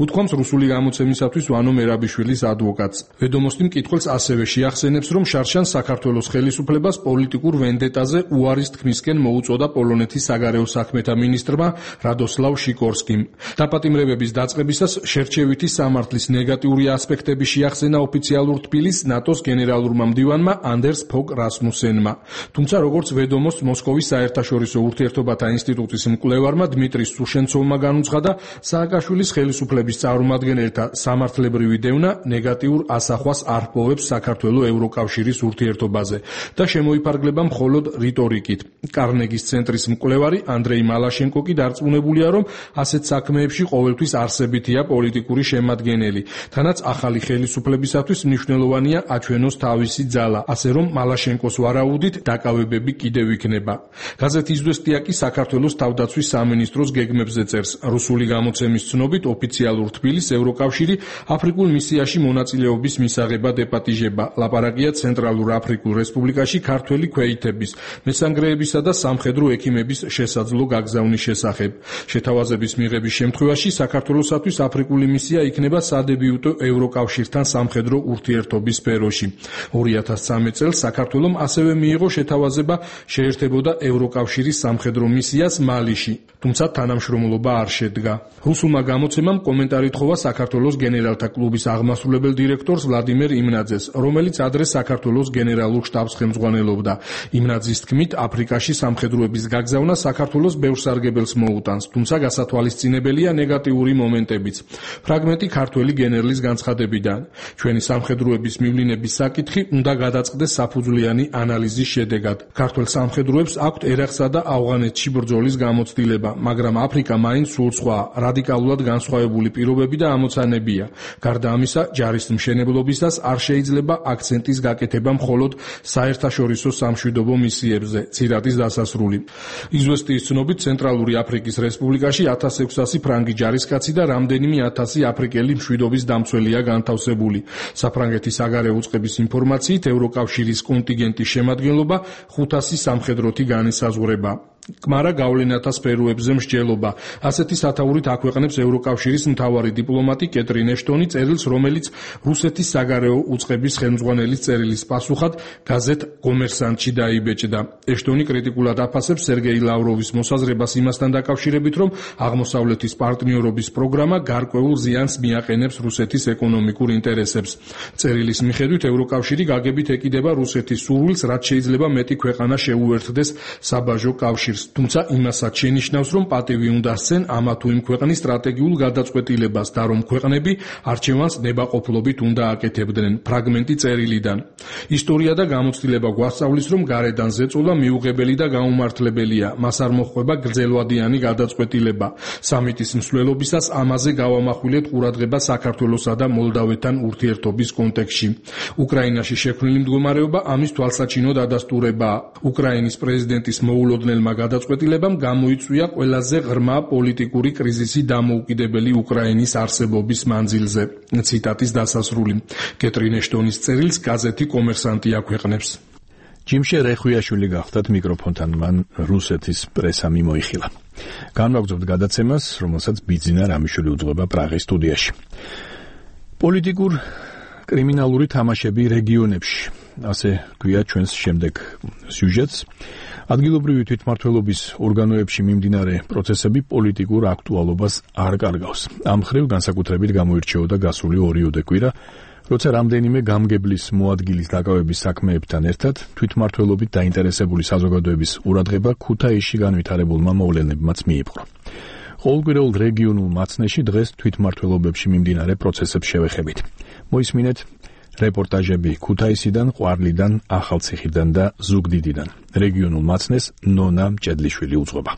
უთქვამს რუსული გამოცემისათვის ვანო მერაბიშვილის ადვოკატს. ვედომოსტი მკითხველს ასევე შეახსენებს, რომ შარშან საქართველოს ხელისუფლებას პოლიტიკურ ვენდეტაზე უარის თქმისკენ მოუწოდა პოლონეთის საგარეო საქმეთა მინისტრმა რადოსლავ შიკორსკიმ. დაპატიმრებების დაწყებისას შერჩევითი სამართლის ნეგატიური ასპექტები შეახსენა ოფიციალურ თბილისს ნატოს გენერალურმა მდივანმა ანდერს ფოგ რასმუსენმა. თუმცა როგორც ვედომოსტს მოსკოვის საერთაშორისო ურთიერთობათა ინსტიტუტის მკვლევარმა დმიტრი სუშენცოვმა განუცხადა, სააკაშვილის ხელისუფლების წარმომადგენელთა სამართლებრივი დევნა ნეგატიურ ასახვას არ პოვებს საქართველოს ევროკავშირის ურთიერთობაზე და შემოიფარგლება მხოლოდ რიტორიკით. კარნეგის ცენტრის მკვლევარი ანდრეი მალაშენკო კი დარწმუნებულია, რომ ასეთ საქმეებში ყოველთვის არსებითია პოლიტიკური შემადგენელი, თანაც ახალი ხელისუფლებისათვის მნიშვნელოვანია აჩვენოს თავისი ძალა, ასე რომ მალაშენკოს ვარაუდით დაკავებები კიდევ იქნება. გაზეთი იზვესტია კი საქართველოს თავდაცვის სამინისტროს გეგმებზე წერს. რუსული გამოცემის ცნობით ოფიციალურ თბილისს ევროკავშირი აფრიკულ მისიაში მონაწილეობის მისაღებად ეპატიჟება. ლაპარაკია ცენტრალურ აფრიკულ რესპუბლიკაში ქართველი ქვეითების, მესანგრეებისა და სამხედრო ექიმების შესაძლო გაგზავნის შესახებ. შეთავაზების მიღების შემთხვევაში საქართველოსათვის აფრიკული მისია იქნება სადებიუტო ევროკავშირთან სამხედრო ურთიერთობის სფეროში. ორი ათას სამი წელს საქართველომ ასევე მიიღო შეთავაზება შეერთებოდა ევროკავშირის სამხედრო მისიას მალიში, თუმცა თანამშრომლობა არ შედგა. რუსულმა გამოცემამ კომენტარი თხოვა საქართველოს გენერალთა კლუბის აღმასრულებელ დირექტორს ვლადიმერ იმნაძეს, რომელიც ადრე საქართველოს გენერალურ შტაბს ხელმძღვანელობდა. იმნაძის თქმით, აფრიკაში სამხედროების გაგზავნა საქართველოს ბევრ სარგებელს მოუტანს, თუმცა გასათვალისწინებელია ნეგატიური მომენტებიც. ფრაგმენტი ქართველი გენერლის განცხადებიდან. ჩვენი სამხედროების მივლინების საკითხი უნდა გადაწყდეს საფუძვლიანი ანალიზის შედეგად. ქართველ სამხედროებს აქვთ ერაყსა და ავღანეთში ბრძოლის გამოცდილება, მაგრამ აფრიკა მაინც სულ სხვა, რადიკალურად განსხვავებული პირობები და ამოცანებია. გარდა ამისა, ჯარის მშენებლობისას არ შეიძლება აქცენტის გაკეთება მხოლოდ საერთაშორისო სამშვიდობო მისიებზე, ცირადის დასასრული. იზვესტიის ცნობით, ცენტრალური აფრიკის რესპუბლიკაში ათას ექვსასი ფრანგი ჯარისკაცი და რამდენიმე ათასი აფრიკელი მშვიდობის დამცველია განთავსებული. საფრანგეთის საგარეო უწყების ინფორმაციით, ევროკავშირის კონტინგენტის შემადგენლობა ხუთასი სამხედროთი განისაზღვრება. კმარა გავლენათა სფეროებზე მსჯელობა. ასეთი სათაურით აქვეყნებს ევროკავშირის მთავარი დიპლომატი კეტრინ ეშტონი წერილს, რომელიც რუსეთის საგარეო უწყების ხელმძღვანელის წერილის პასუხად გაზეთ კომერსანტში დაიბეჭდა. ეშტონი კრიტიკულად აფასებს სერგეი ლავროვის მოსაზრებას იმასთან დაკავშირებით, რომ აღმოსავლეთის პარტნიორობის პროგრამა გარკვეულ ზიანს მიაყენებს რუსეთის ეკონომიკურ ინტერესებს. წერილის მიხედვით ევროკავშირი გაგებით ეკიდება რუსეთის სურვილს, რაც შეიძლება მეტი ქვეყანა შეუერთდეს საბაჟო კავშირს. თუმცა იმასაც შენიშნავს, რომ პატივი უნდა სცენ ამა თუ იმ ქვეყნის სტრატეგიულ გადაწყვეტილებას და რომ ქვეყნები არჩევანს ნებაყოფლობით უნდა აკეთებდნენ. ფრაგმენტი წერილიდან. ისტორია და გამოცდილება გვასწავლის, რომ გარედან ზეწოლა მიუღებელი და გაუმართლებელია. მას არ მოჰყვება გრძელვადიანი გადაწყვეტილება. სამიტის მსვლელობისას ამაზე გავამახვილეთ ყურადღება საქართველოსა და მოლდავეთთან ურთიერთობის კონტექსტში. უკრაინაში შექმნილი მდგომარეობა ამის თვალსაჩინო დადასტურებაა. უკრაინის პრეზიდენტის მოულოდნელმა გადაწყვეტილებამ გამოიწვია ყველაზე ღრმა პოლიტიკური კრიზისი დამოუკიდებელი უკრაინის არსებობის მანძილზე. ციტატის დასასრული. კეტრინ ეშტონის წერილს გაზეთი კომერსანტი აქვეყნებს. ჯიმშე რეხვიაშვილი გახდათ მიკროფონთან, მან რუსეთის პრესა მიმოიხილა. განვაგრძობთ გადაცემას, რომელსაც ბიძინა რამიშვილი უძღვება პრაღის სტუდიაში. პოლიტიკურ კრიმინალური თამაშები რეგიონებში. ასე გვია ჩვენს შემდეგ სიუჟეტს. ადგილობრივი თვითმმართველობის ორგანოებში მიმდინარე პროცესები პოლიტიკურ აქტუალობას არ კარგავს. ამ მხრივ განსაკუთრებით გამოირჩეოდა გასული ორიოდე კვირა, როცა რამდენიმე გამგებლის მოადგილის დაკავების საქმეებთან ერთად თვითმმართველობით დაინტერესებული საზოგადოების ყურადღება ქუთაისში განვითარებულმა მოვლენებმაც მიიპყრო. ყოველკვირეულ რეგიონულ მაცნეში დღეს თვითმმართველობებში მიმდინარე პროცესებს შევეხებით. მოისმინეთ რეპორტაჟები ქუთაისიდან, ყვარლიდან, ახალციხიდან და ზუგდიდიდან. რეგიონულ მაცნეს ნონა მჭედლიშვილი უძღვება.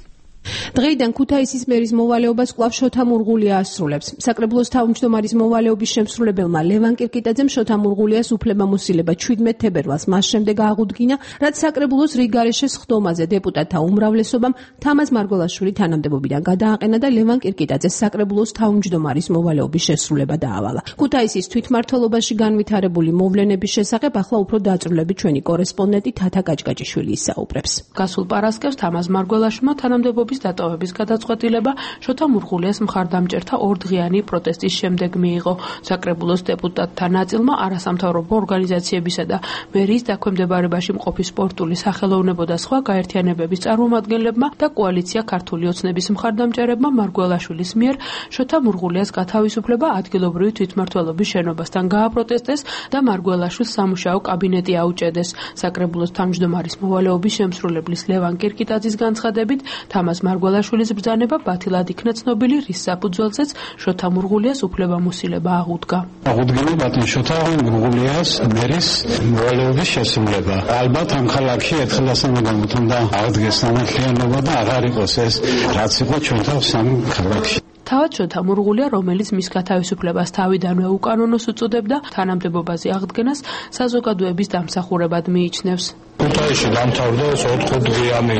დღეიდან ქუთაისის მერის მოვალეობას კვლავ შოთა მურღულია ასრულებს. საკრებულოს თავმჯდომარის მოვალეობის შემსრულებელმა ლევან კირკიტაძემ შოთა მურღულიას უფლებამოსილება ჩვიდმეტ თებერვალს მას შემდეგ აღუდგინა, რაც საკრებულოს რიგგარეშე სხდომაზე დეპუტატთა უმრავლესობამ თამაზ მარგველაშვილი თანამდებობიდან გადააყენა და ლევან კირკიტაძეს საკრებულოს თავმჯდომარის მოვალეობის შესრულება დაავალა. ქუთაისის თვითმმართველობაში განვითარებული მოვლენების შესახებ ახლა უფრო დაწვრილებით ჩვენი კორესპონდენტი თათა კაჭკაჭიშვილი ისაუბრებს. გასულ პარასკევს თამაზ მარგველაშვილმა თანამდებობის დატოვების გადაწყვეტილება შოთა მურღულიას მხარდამჭერთა ორდღიანი პროტესტის შემდეგ მიიღო. საკრებულოს დეპუტატთა ნაწილმა არასამთავრობო ორგანიზაციებისა და მერიის დაქვემდებარებაში მყოფი სპორტული სახელოვნებო და სხვა გაერთიანებების წარმომადგენლებმა და კოალიცია ქართული ოცნების მხარდამჭერებმა მარგველაშვილის მიერ შოთა მურღულიას გათავისუფლება ადგილობრივი თვითმმართველობის შენობასთან გააპროტესტეს და მარგველაშვილს სამუშაო კაბინეტი აუჭედეს. საკრებულოს თავმჯდომარის მოვალეობის შემსრულებლის ლევან კირკიტაძის განცხადებით თამაზ მარგველაშვილის ბრძანება ბათილად იქნა ცნობილი, რის საფუძველზეც შოთა მურღულიას უფლებამოსილება აღუდგა. აღუდგინა ბატონ შოთა მურღულიას მერის მოვალეობის შესრულება. ალბათ ამ ქალაქში ერთხელ ასამაგამოთ უნდა აღდგეს სამართლიანობა და აღარ იყოს ეს, რაც იყო ჩვენთან სამ ქალაქში. თავად შოთა მურღულია, რომელიც მის გათავისუფლებას თავიდანვე უკანონოს უწოდებდა, თანამდებობაზე აღდგენას საზოგადოების დამსახურებად მიიჩნევს. ქუთაისში დამთავრდა ოთხდღიანი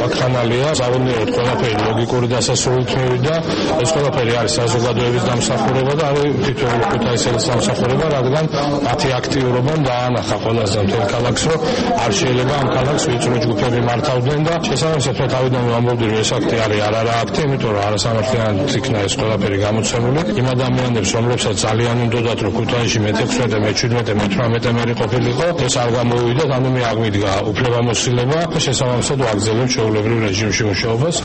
ვაქცინალია, ზავონიერად ყველაფერი ლოგიკური დასასრულით მივიდა. ეს ყველაფერი არის საზოგადოების დამსახურება და არის თითოეულ ქუთაისელის დამსახურება, რადგან მათი აქტიურობამ დაანახა ყველაზე მთელ ქალაქს, რომ არ შეიძლება ამ ქალაქს ვიწრო ჯგუფები მართავდნენ და შესაბამისად თავიდანვე ამბობდი, რომ ეს აქტი არის არარა აქტი, იმიტომ რომ არასამართლიანად იქნა ეს ყველაფერი გამოცემული. იმ ადამიანებს, რომლებსაც ძალიან უნდათ, რომ ქუთაისში მეექვსმეტე, მეჩვიდმეტე, მეთვრამეტე მერი ყოფილიყო, ეს არ გამოვიდა, ანუ მე აღვიდგა უფლებამოსილება და შესაბამისად ვაგრძელებ ჩვეულებრივ რეჟიმში მუშაობას.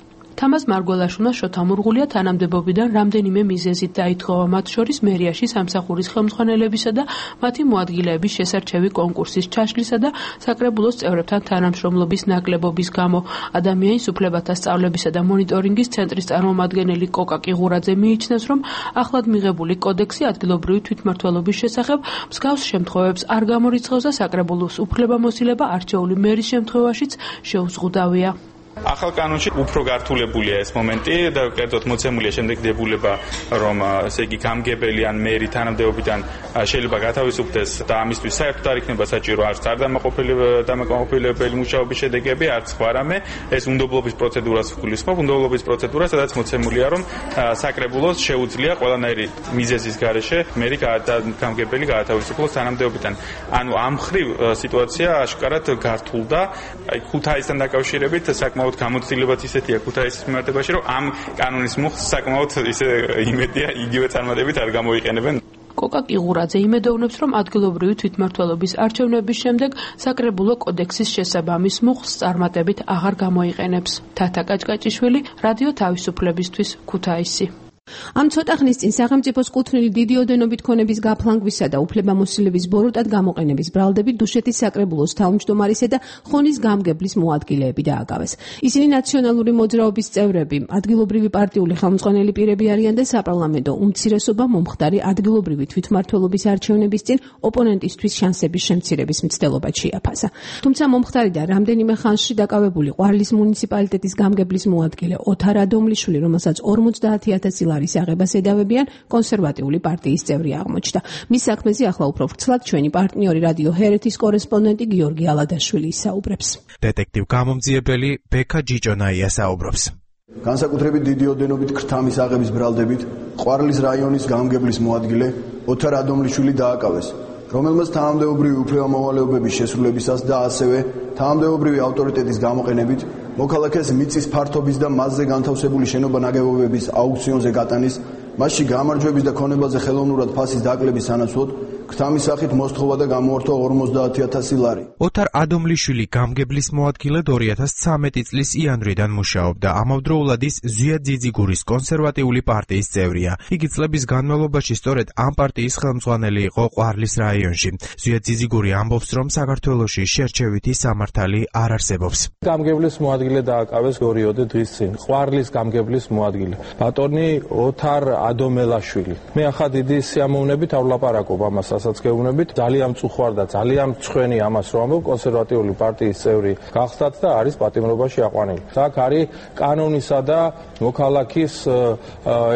თამაზ მარგველაშვილმა შოთა მურღულია თანამდებობიდან რამდენიმე მიზეზით დაითხოვა, მათ შორის მერიაში სამსახურის ხელმძღვანელებისა და მათი მოადგილეების შესარჩევი კონკურსის ჩაშლისა და საკრებულოს წევრებთან თანამშრომლობის ნაკლებობის გამო. ადამიანის უფლებათა სწავლებისა და მონიტორინგის ცენტრის წარმომადგენელი კოკა კიღურაძე მიიჩნევს, რომ ახლად მიღებული კოდექსი ადგილობრივი თვითმმართველობის შესახებ მსგავს შემთხვევებს არ გამორიცხავს და საკრებულოს უფლებამოსილება არჩეული მერის შემთხვევაშიც შეუზღუდავია. ახალ კანონში უფრო გართულებულია ეს მომენტი და კერძოდ მოცემულია შემდეგ დებულება, რომ ესე იგი გამგებელი ან მერი თანამდებობიდან შეიძლება გათავისუფლდეს და ამისთვის საერთოდ არ იქნება საჭირო არც არ დამაკმაყოფილებელი მუშაობის შედეგები, არც სხვა რამე. ეს უნდობლობის პროცედურას გულისხმობს, უნდობლობის პროცედურა, სადაც მოცემულია, რომ საკრებულოს შეუძლია ყველანაირი მიზეზის გარეშე მერი გამგებელი გაათავისუფლოს თანამდებობიდან. ანუ ამ ხრივ სიტუაცია აშკარად გართულდა. აი ქუთაისთან დაკავშირებით საკმაოდ გამოცდილებაც ისეთია ქუთაისის მიმართებაში, რომ ამ კანონის მუხლს საკმაოდ ისე იმედია იგივე წარმატებით არ გამოიყენებენ. კოკა კიღურაძე იმედოვნებს, რომ ადგილობრივი თვითმმართველობის არჩევნების შემდეგ საკრებულო კოდექსის შესაბამის მუხლს წარმატებით აღარ გამოიყენებს. თათა კაჭკაჭიშვილი, რადიო თავისუფლებისთვის, ქუთაისი. ამ ცოტა ხნის წინ სახელმწიფოს კუთვნილი დიდი ოდენობით ქონების გაფლანგვისა და უფლებამოსილების ბოროტად გამოყენების ბრალდებით დუშეთის საკრებულოს თავმჯდომარისა და ხონის გამგებლის მოადგილეები დააკავეს. ისინი ნაციონალური მოძრაობის წევრები, ადგილობრივი პარტიული ხელმძღვანელი პირები არიან და საპარლამენტო უმცირესობა მომხდარი ადგილობრივი თვითმმართველობის არჩევნების წინ ოპონენტისთვის შანსების შემცირების მცდელობად შეაფასა. თუმცა მომხდარიდან რამდენიმე ხანში დაკავებული ყვარლის მუნიციპალიტეტის გამგებლის მოადგილე ოთარ ადომლიშვილი, რომელსაც ორმოცდაათი ათასი ლარის აღებას ედავებიან, კონსერვატიული პარტიის წევრი აღმოჩნდა. მის საქმეზე ახლა უფრო ვრცლად ჩვენი პარტნიორი რადიო ჰერეთის კორესპონდენტი გიორგი ალადაშვილი ისაუბრებს. დეტექტივ გამომძიებელი ბექა ჯიჭონაია საუბრობს. განსაკუთრებით დიდი ოდენობით ქრთამის აღების ბრალდებით ყვარლის რაიონის გამგებლის მოადგილე ოთარ ადომლიშვილი დააკავეს, რომელმაც თანამდებობრივი უფლებამოვალეობების შესრულებისას და ასევე თანამდებობრივი ავტორიტეტის გამოყენებით მოქალაქეს მიწის ფართობის და მასზე განთავსებული შენობა-ნაგებობების აუქციონზე გატანის, მასში გამარჯვების და ქონებაზე ხელოვნურად ფასის დაკლების სანაცვლოდ ქრთამის სახით მოსთხოვა და გამოართვა ორმოცდაათი ათასი ლარი. ოთარ ადომლიშვილი გამგებლის მოადგილედ ორი ათას ცხრამეტი წლის იანვრიდან მუშაობდა. ამავდროულად ის ზვია ძიძიგურის კონსერვატიული პარტიის წევრია. იგი წლების განმავლობაში სწორედ ამ პარტიის ხელმძღვანელი იყო ყვარლის რაიონში. ზვია ძიძიგური ამბობს, რომ საქართველოში შერჩევითი სამართალი არ არსებობს. გამგებლის მოადგილე დააკავეს ორიოდე დღის წინ. ყვარლის გამგებლის მოადგილე ბატონი ოთარ ადომელაშვილი. მე ახლა დიდი სიამოვნებითავლაპარაკობ ამას რასაც გეუბნებით, ძალიან მწუხვარ და ძალიან მწვენი ამას რომ ამბობ, კონსერვატიული პარტიის წევრი გახსდათ და არის პატიმრობაში აყვანილი. აქ არის კანონისა და მოქალაქის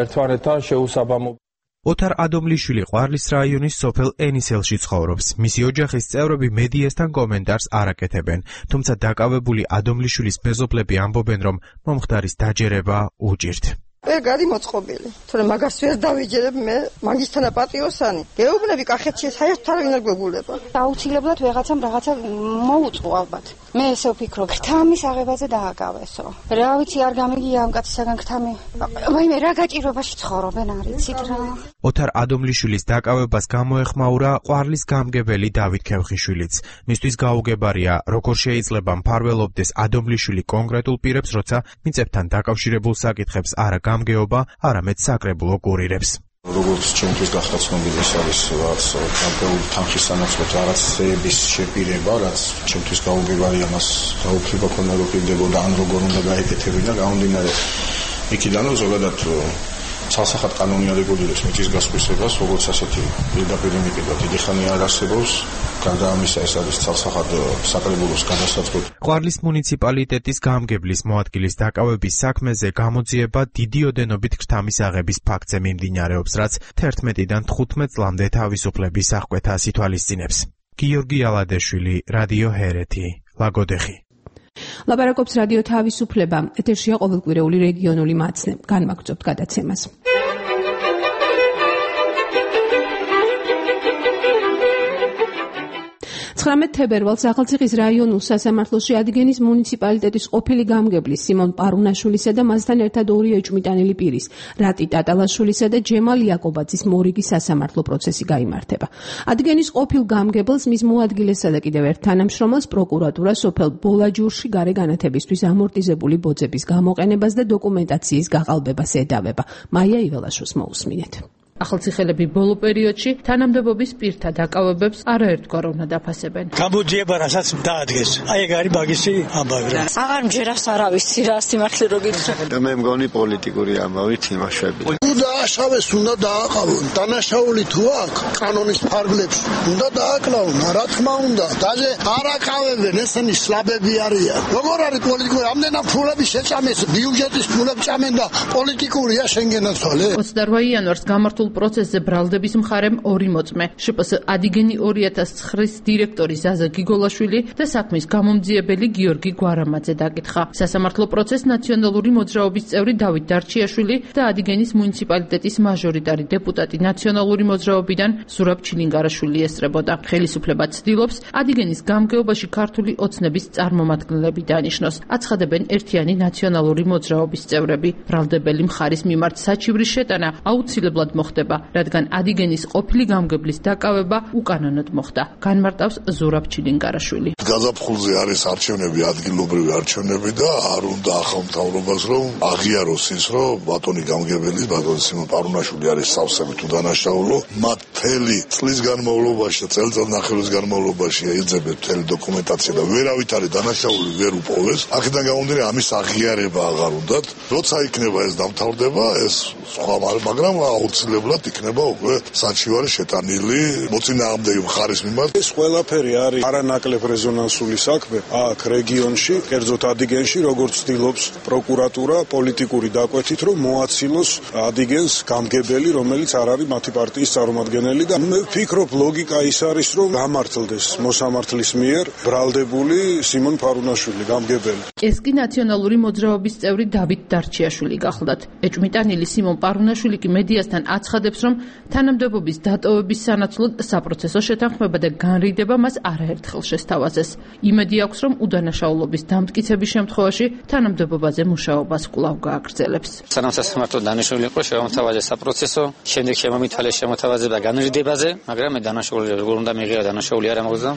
ერთმანეთთან შეუსაბამობა. ოთარ ადომლიშვილი ყვარლის რაიონის სოფელ ენისელში ცხოვრობს. მისი ოჯახის წევრები მედიასთან კომენტარს არ აკეთებენ, თუმცა დაკავებული ადომლიშვილის მეზობლები ამბობენ, რომ მომხდარის დაჯერება უჭირთ. ვერ გადიმოწყობილი. თორემ მაგას ვერ დავიჯერებ მე, მაგისთანა პატიოსანი. გეუბნები კახეთში საერთოდ არ ვინარ გვეგულება. აუცილებლად ვეღაცამ რაღაცა მოუწყო ალბათ. მე ესე ვფიქრობ, ქთამის აღებაზე დააკავესო. რა ვიცი, არ გამიგია ამ კაცისაგან ქთამი. ვაიმე, რა გაჭირვებაში ცხოვრობენ, არ იცით რა. ოთარ ადომლიშვილის დაკავებას გამოეხმაურა ყვარლის გამგებელი დავით ქევხიშვილიც. მისთვის გაუგებარია, როგორ შეიძლება მფარველობდეს ადომლიშვილი კონკრეტულ პირებს, როცა მიწებთან დაკავშირებულ საკითხებს არა გამგეობა, არამედ საკრებულო კურირებს. როგორც ჩემთვის გახდა ცნობილი, ეს არის რაც გამგეობ თანხის სანაცვლოდ რაღაცების შეპირება, რაც ჩემთვის გაუგებარია, მას გაუქმება ქონა რო პირდებოდა, ან როგორ უნდა გაეკეთებინა, გამომდინარე იქიდან რომ ზოგადად ცალსახად კანონი არ ეგულირებს მიწის გასხვისებას, როგორც ასეთი პირდაპირ მიტება დიდი ხანი არ არსებობს. გარდა ამისა, ეს არის ცალსახად საკრებულოს გადასაწყვეტი. ყვარლის მუნიციპალიტეტის გამგებლის მოადგილის დაკავების საქმეზე გამოძიება დიდი ოდენობით ქრთამის აღების ფაქტზე მიმდინარეობს, რაც თერთმეტიდან თხუთმეტ წლამდე თავისუფლების აღკვეთას ითვალისწინებს. გიორგი ალადეშვილი, რადიო ჰერეთი, ლაგოდეხი. ლაპარაკობს რადიო თავისუფლება, ეთერშია ყოველკვირეული რეგიონული მაცნე. განმაგრძობთ გადაცემას. ცხრამეტ თებერვალს ახალციხის რაიონულ სასამართლოში ადგენის მუნიციპალიტეტის ყოფილი გამგებლის სიმონ პარუნაშვილისა და მასთან ერთად ორი ეჭვმიტანილი პირის, რატი ტატალაშვილისა და ჯემალ იაკობაძის მორიგი სასამართლო პროცესი გაიმართება. ადგენის ყოფილ გამგებელს, მის მოადგილესა და კიდევ ერთ თანამშრომელს პროკურატურა სოფელ ბოლაჯურში გარე განათებისთვის ამორტიზებული ბოძების გამოყენებას და დოკუმენტაციის გაყალბებას ედავება. მაია იველაშვილს მოусმინეთ. ახალციხელები ბოლო პერიოდში თანამდებობის პირთა დაკავებებს არაერთგვარ უნდა დაფასებენ. გამოძიება რასაც დაადგეს. აი ეგ არის მაგისი ამბავი რა. აღარ მჯერას არა ვიცი რა სიმართლე რო გითხრა. მე მგონი პოლიტიკური ამბავი თამაშები. თუ დააშავეს უნდა დააყავონ. დანაშაული თუ აქვს კანონის ფარგლებში უნდა დააკლავონ. რა თქმა უნდა. დაჟე არ აკავებენ, ესენი სლაბები არიან. როგორ არის პოლიტიკური? ამდენად ფულები შეჭამეს, ბიუჯეტის ფულები ჭამენ და პოლიტიკურია შენგენაცვალე. ოცდაოთხ იანვარს გამართულ პროცესზე ბრალდების მხარემ ორი მოწმე, შპს ადინგენი ორი ათას ცხრის დირექტორი ზაზა გიგოლაშვილი და საქმის გამომძიებელი გიორგი გვარამაძე დაკითხა. სასამართლო პროცესს ნაციონალური მოძრაობის წევრი დავით დარჩიაშვილი და ადინგენის მუნიციპალიტეტის მაჟორიტარი დეპუტატი ნაციონალური მოძრაობიდან ზურაბ ჩილინგარაშვილი ესწრებოდა. ხელისუფლება ცდილობს ადინგენის გამგეობაში ქართული ოცნების წარმომადგენლები დანიშნოს. აცხადებენ ერთიანი ნაციონალური მოძრაობის წევრები. ბრალდებელი მხარის მიმართ საჩივრის შეტანა აუცილებლად მოხდა, რადგან ადინგენის ყოფილი გამგებლის დაკავება უკანონოდ მოხდა. განმარტავს ზურაბ ჩილინგარაშვილი. გაზაფხულზე არის არჩევნები, ადგილობრივი არჩევნები და არ უნდა ახალ მთავრობას რომ აღიაროს ის, რომ ბატონი გამგებელი, ბატონი სიმონ პარუნაშვილი არის სავსები თუ დანაშაულო, მათ მთელი წლის განმავლობაში და წელიწად ნახევრის განმავლობაში ეძებენ მთელი დოკუმენტაცია და ვერავით არის დანაშაული ვერ უპოვეს. აქედან გამომდინარე ამის აღიარება აღარ უნდათ. როცა იქნება ეს დამთავრდება, ეს სხვა მაგრამ აუცილებლად იქნება უკვე საჩივარი შეტანილი მოწინააღმდეგე მხარის მიმართ. ეს ყველაფერი არის არანაკლებ რეზონანსული საქმე აქ რეგიონში, კერძოდ ადინგენში, როგორც ცდილობს პროკურატურა პოლიტიკური დაკვეთით, რომ მოაცილოს ადინგენს გამგებელი, რომელიც არ არის მათი პარტიის წარმომადგენელი და მე ვფიქრობ ლოგიკა ის არის, რომ გამართლდეს მოსამართლის მიერ ბრალდებული სიმონ პარუნაშვილი გამგებელი. ეს კი ნაციონალური მოძრაობის წევრი დავით დარჩიაშვილი გახლდათ. ეჭვმიტანილი სიმონ პარუნაშვილი კი მედიასთან აცხადებს, რომ თანამდებობის დატოვების სანაცვლოდ საპროცესო შეთანხმება და განრიდება მას არაერთხელ შესთავაზეს. იმედი აქვს, რომ უდანაშაულობის დამტკიცების შემთხვევაში თანამდებობაზე მუშაობას კვლავ გააგრძელებს. სანამ სასამართლო დანიშნული იყო შემოთავაზეს საპროცესო, შემდეგ შემომითვალეს შემოთავაზება განრიდებაზე, მაგრამ მე დანაშაული როგორ უნდა მიიღება დანაშაული არ ამოხდა.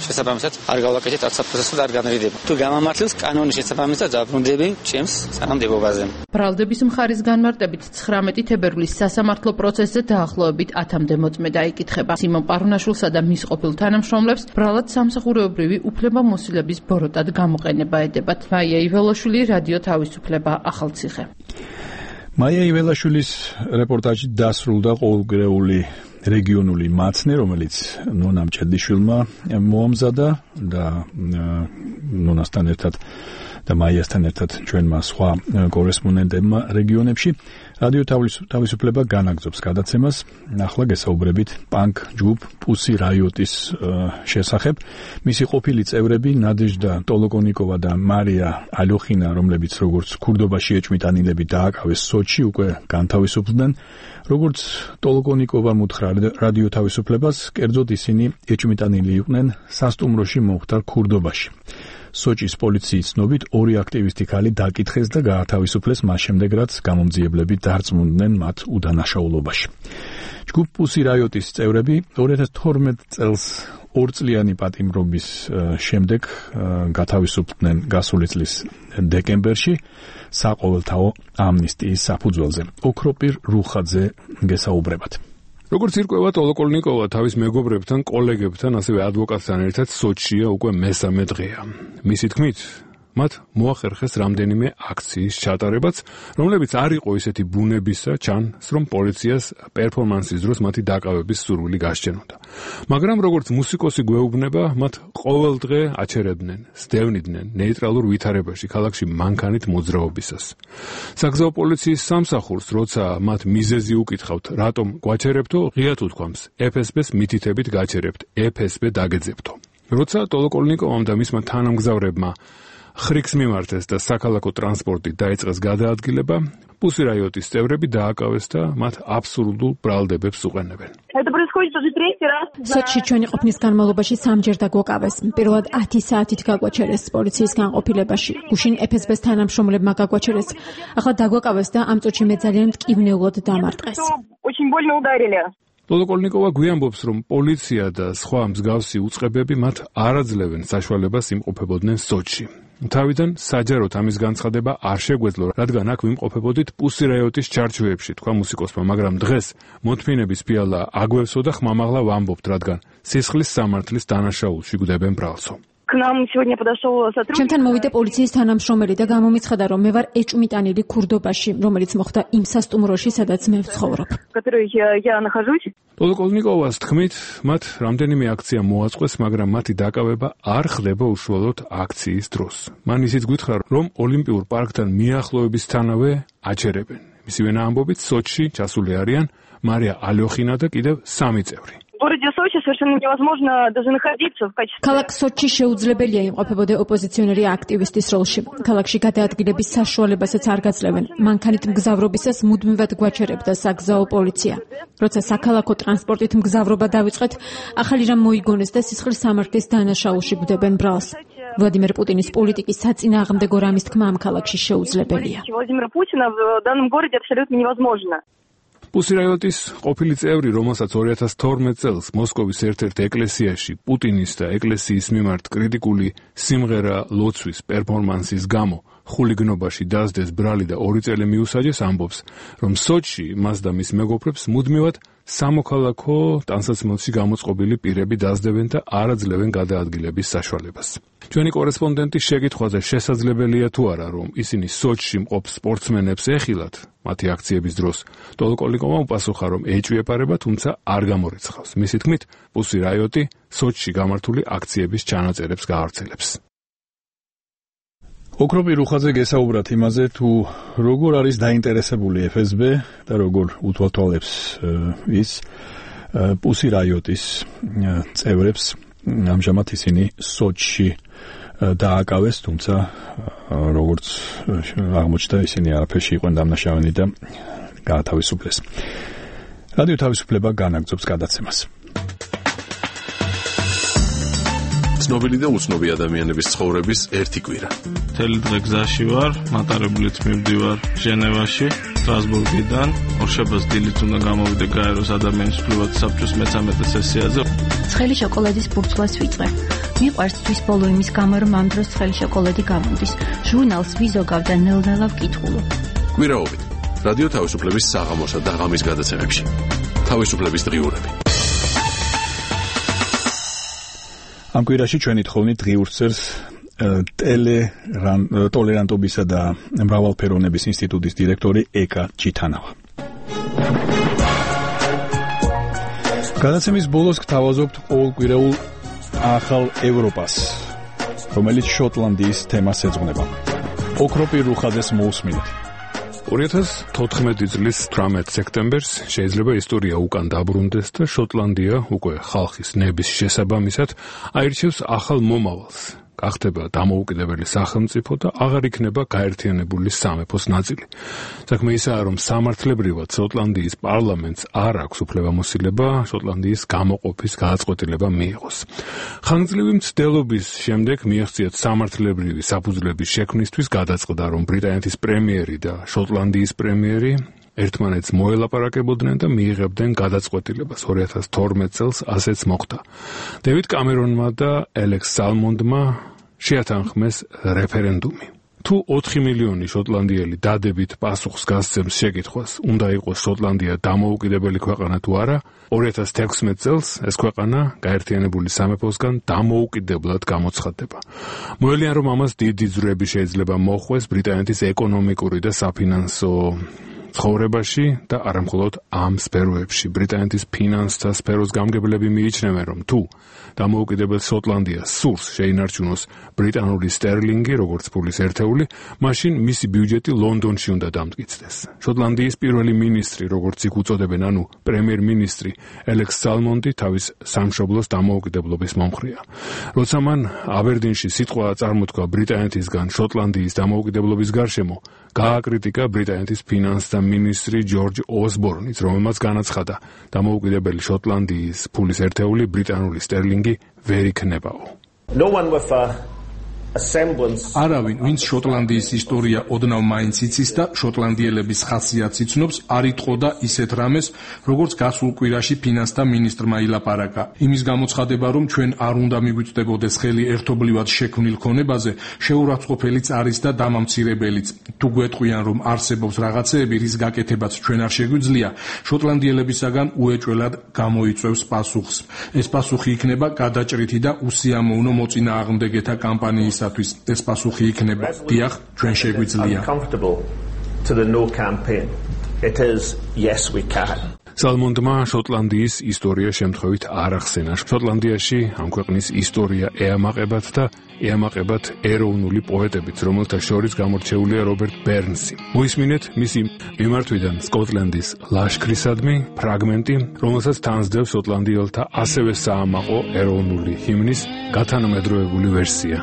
შესაბამისად არ გავაკეთეთ არც საპროცესო და არ განრიდება. თუ გამამართლებს კანონის შესაბამისად დაბრუნდები ჩემს თანამდებობაზე. ბრალდების მხარის განმარტებით ცხრამეტი თებერვლის სასამართლო პროცესზე დაახლოებით ათამდე მოწმე დაიკითხება. სიმონ პარუნაშვილსა და მის ყოფილ თანამშრომლებს ბრალად სამსახურეობრივი უფლებამოსილების ბოროტად გამოყენება ედებათ. მაია იველაშვილი, რადიო თავისუფლება, ახალციხე. მაია იველაშვილის რეპორტაჟი დასრულდა ყოველკვირეული რეგიონული მაცნე, რომელიც ნონა მჭედიშვილმა მოამზადა და ნონასთან ერთად და მაიასთან ერთად ჩვენმა სხვა კორესპონდენტებმა რეგიონებში რადიო თავისუფლება განაგრძობს გადაცემას. ახლა გესაუბრებით პანკ ჯგუფ პუსი რაიოტის შესახებ. მისი ყოფილი წევრები ნადეჟდა ტოლოკონიკოვა და მარია ალოხინა, რომლებიც როგორც ქურდობაში ეჭვმიტანილები დააკავეს სოჩში, უკვე განთავისუფლდნენ. როგორც ტოლოკონიკოვა უთხრა რადიო თავისუფლებას, კერძოდ ისინი ეჭვმიტანილი იყვნენ სასტუმროში მომხდარ ქურდობაში. სოჭის პოლიციის ცნობით ორი აქტივისტი ქალი დაკითხეს და გაათავისუფლეს მას შემდეგ, რაც გამომძიებლები დარწმუნდნენ მათ უდანაშაულობაში. ჯგუფ პუსი რაიოტის წევრები ორი ათას თორმეტ წელს ორწლიანი პატიმრობის შემდეგ გათავისუფლდნენ გასული წლის დეკემბერში საყოველთაო ამნისტიის საფუძველზე. ოქროპირ რუხაძე გესაუბრებათ. როგორც ირკვევა, ტოლოკონიკოვა თავის მეგობრებთან, კოლეგებთან, ასევე ადვოკატთან ერთად სოჩშია უკვე მესამე დღეა. მისი თქმით, მათ მოახერხეს რამდენიმე აქციის ჩატარებაც, რომლებიც არ იყო ისეთი ბუნებისა, ჩანს, რომ პოლიციას პერფორმანსის დროს მათი დაკავების სურვილი გასჭენოდა. მაგრამ როგორც მუსიკოსი გვეუბნება, მათ ყოველ დღე აჩერებდნენ, სდევნიდნენ ნეიტრალურ ვითარებაში ქალაქში მანქანით მოძრაობისას. საგზაო პოლიციის სამსახურს, როცა მათ მიზეზი უკითხავთ, რატომ გვაჩერებთო, ღიად უთქვამს, ეფ ეს ბეს მითითებით გაჩერებთ, ეფ ეს ბე დაგეძებთო. როცა ტოლოკონიკოვამ და მისმა თანამგზავრებმა ხრიქს მიმართეს და საქალაქო ტრანსპორტით დაიწყეს გადაადგილება, პუსი რაიოტის წევრები დააკავეს და მათ აბსურდულ ბრალდებებს უყენებენ. სოჩში ჩვენი ყოფნის განმავლობაში სამჯერ დაგვაკავეს. პირველად ათი საათით გაგვაჩერეს პოლიციის განყოფილებაში. გუშინ ეფ ეს ბეს თანამშრომლებმა გაგვაჩერეს. ახლა დაგვაკავეს და ამ წუთში მე ძალიან მტკივნეულად დამარტყეს. ტოლოკონიკოვა გვიამბობს, რომ პოლიცია და სხვა მსგავსი უწყებები მათ არ აძლევენ საშუალებას იმყოფებოდნენ სოჩში. თავიდან საჯაროდ ამის განცხადება არ შეგვეძლო, რადგან აქ ვიმყოფებოდით პუსი რაიოტის ჩარჩოებში, თქვა მუსიკოსმა, მაგრამ დღეს მოთმინების ფიალა აგვევსო და ხმამაღლა ვამბობთ, რადგან სისხლის სამართლის დანაშაულში გვდებენ ბრალსო. ჩემთან მოვიდა პოლიციის თანამშრომელი და გამომიცხადა, რომ მე ვარ ეჭვმიტანილი ქურდობაში, რომელიც მოხდა იმ სასტუმროში, სადაც მე ვცხოვრობ. ტოლოკონიკოვას თქმით, მათ რამდენიმე აქცია მოაწყვეს, მაგრამ მათი დაკავება არ ხდება უშუალოდ აქციის დროს. მან ისიც გითხრა, რომ ოლიმპიურ პარკთან მიახლოებისთანავე აჩერებენ. მისივენა ამბობით, სოჩში ჩასული არიან მარია ალოხინა და კიდევ სამი წევრი. ქალაქ სოჩში შეუძლებელია იმყოფებოდე ოპოზიციონერი აქტივისტის როლში. ქალაქში გადაადგილების საშუალებასაც არ გაძლევენ. მანქანით მგზავრობისას მუდმივად გვაჩერებდა საგზაო პოლიცია. როცა საქალაქო ტრანსპორტით მგზავრობა დავიწყეთ, ახალი რამ მოიგონეს და სისხლის სამართლის დანაშაულში გვდებენ ბრალს. ვლადიმერ პუტინის პოლიტიკის საწინააღმდეგო რამის თქმა ამ ქალაქში შეუძლებელია. პუსი რაიოტის ყოფილი წევრი, რომელსაც ორი ათას თორმეტ წელს მოსკოვის ერთ-ერთ ეკლესიაში პუტინის და ეკლესიის მიმართ კრიტიკული სიმღერა ლოცვის პერფორმანსის გამო ხულიგნობაში დასდეს ბრალი და ორი წელი მიუსაჯეს, ამბობს, რომ სოჩში მას და მის მეგობრებს მუდმივად სამოქალაქო ტანსაცმელში გამოწყობილი პირები დასდებენ და არ აძლევენ გადაადგილების საშუალებას. ჩვენი კორესპონდენტი შეკითხვაზე შესაძლებელია თუ არა, რომ ისინი სოჩში მყოფ სპორტსმენებს ეხილათ მათი აქციების დროს, ტოლოკონიკოვამ უპასუხა, რომ ეჭვი ეპარება, თუმცა არ გამორიცხავს. მისი თქმით, პუსი რაიოტი სოჩში გამართული აქციების ჩანაწერებს გაავრცელებს. ოქროპირ რუხაძე გესაუბრათ იმაზე, თუ როგორ არის დაინტერესებული ეფ ეს ბე და როგორ უთვალთვალებს ის პუსი რაიოტის წევრებს. ამჟამად ისინი სოჩში დააკავეს, თუმცა როგორც აღმოჩნდა, ისინი არაფერში იყვნენ დამნაშავენი და გაათავისუფლეს. რადიო თავისუფლება განაგრძობს გადაცემას. ცნობილი და უცნობი ადამიანების ცხოვრების ერთი კვირა. მთელი დღე გზაში ვარ, მატარებლით მივდივარ ჟენევაში, სტრასბურგიდან. ორშაბათს დილით უნდა გამოვიდე გაეროს ადამიანის უფლებათა საბჭოს მეცამეტე სესიაზე. ცხელი შოკოლადის ბურთულას ვიწყე. მიყვარს თვის ბოლო იმის გამო, რომ ამ დროს ცხელი შოკოლადი გამოდის. ჟურნალს ვიზოგავ და ნელ-ნელა ვკითხულობ. კვირაობით რადიო თავისუფლების საღამოსა და ღამის გადაცემებში. თავისუფლების დღიურები. ამ კვირაში ჩვენი თხოვნით დღიურს წერს ტოლერანტობისა და მრავალფეროვნების ინსტიტუტის დირექტორი ეკა ჩიტანავა. გადაცემის ბოლოს გთავაზობთ ყოველკვირეულ ახალ ევროპას, რომელიც შოტლანდიის თემას ეძღვნება. ოქროპირ რუხაძეს მოусმინეთ. ორი ათას თოთხმეტი წლის თვრამეტ სექტემბერს შეიძლება ისტორია უკან დაბრუნდეს და შოტლანდია უკვე ხალხის ნების შესაბამისად აირჩევს ახალ მომავალს. გახდება დამოუკიდებელი სახელმწიფო და აღარ იქნება გაერთიანებული სამეფოს ნაწილი. საქმე ისაა, რომ სამართლებრივად შოტლანდიის პარლამენტს არ აქვს უფლებამოსილება შოტლანდიის გამოყოფის გადაწყვეტილება მიიღოს. ხანგრძლივი მცდელობის შემდეგ მიაღწიათ სამართლებრივი საფუძვლების შექმნისთვის გადაწყდა, რომ ბრიტანეთის პრემიერი და შოტლანდიის პრემიერი ერთმანეთს მოელაპარაკებოდნენ და მიიღებდნენ გადაწყვეტილებას. ორი ათას თორმეტ წელს ასეც მოხდა. დევიდ კამერონმა და ელექს სალმონდმა შეათანხმეს რეფერენდუმი. თუ ოთხი მილიონი შოტლანდიელი დადებით პასუხს გასცემს შეკითხვას, უნდა იყოს შოტლანდია დამოუკიდებელი ქვეყანა თუ არა, ორი ათას თექვსმეტ წელს ეს ქვეყანა გაერთიანებული სამეფოსგან დამოუკიდებლად გამოცხადდება. მოელიან, რომ ამას დიდი ძვრები შეიძლება მოხვეს ბრიტანეთის ეკონომიკური და საფინანსო ცხოვრებაში და არა მხოლოდ ამ სფეროებში. ბრიტანეთის ფინანსთა სფეროს გამგებლები მიიჩნევენ, რომ თუ დამოუკიდებელ შოტლანდიას სურს შეინარჩუნოს ბრიტანული სტერლინგი, როგორც ფულის ერთეული, მაშინ მისი ბიუჯეტი ლონდონში უნდა დამტკიცდეს. შოტლანდიის პირველი მინისტრი, როგორც იქ უწოდებენ, ანუ პრემიერ-მინისტრი ელექს სალმონდი თავის სამშობლოს დამოუკიდებლობის მომხრეა. როცა მან აბერდინში სიტყვა წარმოთქვა ბრიტანეთისგან შოტლანდიის დამოუკიდებლობის გარშემო, გააკრიტიკა ბრიტანეთის ფინანსთა მინისტრი ჯორჯ ოსბორნიც, რომელმაც განაცხადა, დამოუკიდებელი შოტლანდიის ფულის ერთეული ბრიტანული სტერლინგი ვერ იქნებაო. No one with a a semblance არავინ, ვინც შოტლანდიის ისტორია ოდნავ მაინც იცის და შოტლანდიელების ხასიათს იცნობს, არ იტყოდა ისეთ რამეს, როგორც გასულ კვირაში ფინანსთა მინისტრმა ილაპარაკა. იმის გამოცხადება, რომ ჩვენ არ უნდა მიგვიწვდებოდეს ხელი ერთობლივად შექმნილ ქონებაზე, შეურაცხყოფელიც არის და დამამცირებელიც. თუ გვეტყვიან, რომ არსებობს რაღაცეები, რის გაკეთებაც ჩვენ არ შეგვიძლია, შოტლანდიელებისაგან უეჭველად გამოიწვევს პასუხს. ეს პასუხი იქნება გადაჭრითი და უსიამოვნო მოწინააღმდეგეთა კამპანიის ეს პასუხი იქნება დიახ, ჩვენ შეგვიძლია. სალმონდმა შოტლანდიის ისტორია შემთხვევით არ ახსენა. შოტლანდიაში ამ ქვეყნის ისტორია ეამაყებათ და ეამაყებათ ეროვნული პოეტებით, რომელთა შორის გამორჩეულია რობერტ ბერნსი. მოისმინეთ მისი მიმართვიდან სკოტლენდის ლაშქრისადმი ფრაგმენტი, რომელსაც თანსდევს შოტლანდიელთა ასევე საამაყო ეროვნული ჰიმნის გათანამედროვებული ვერსია.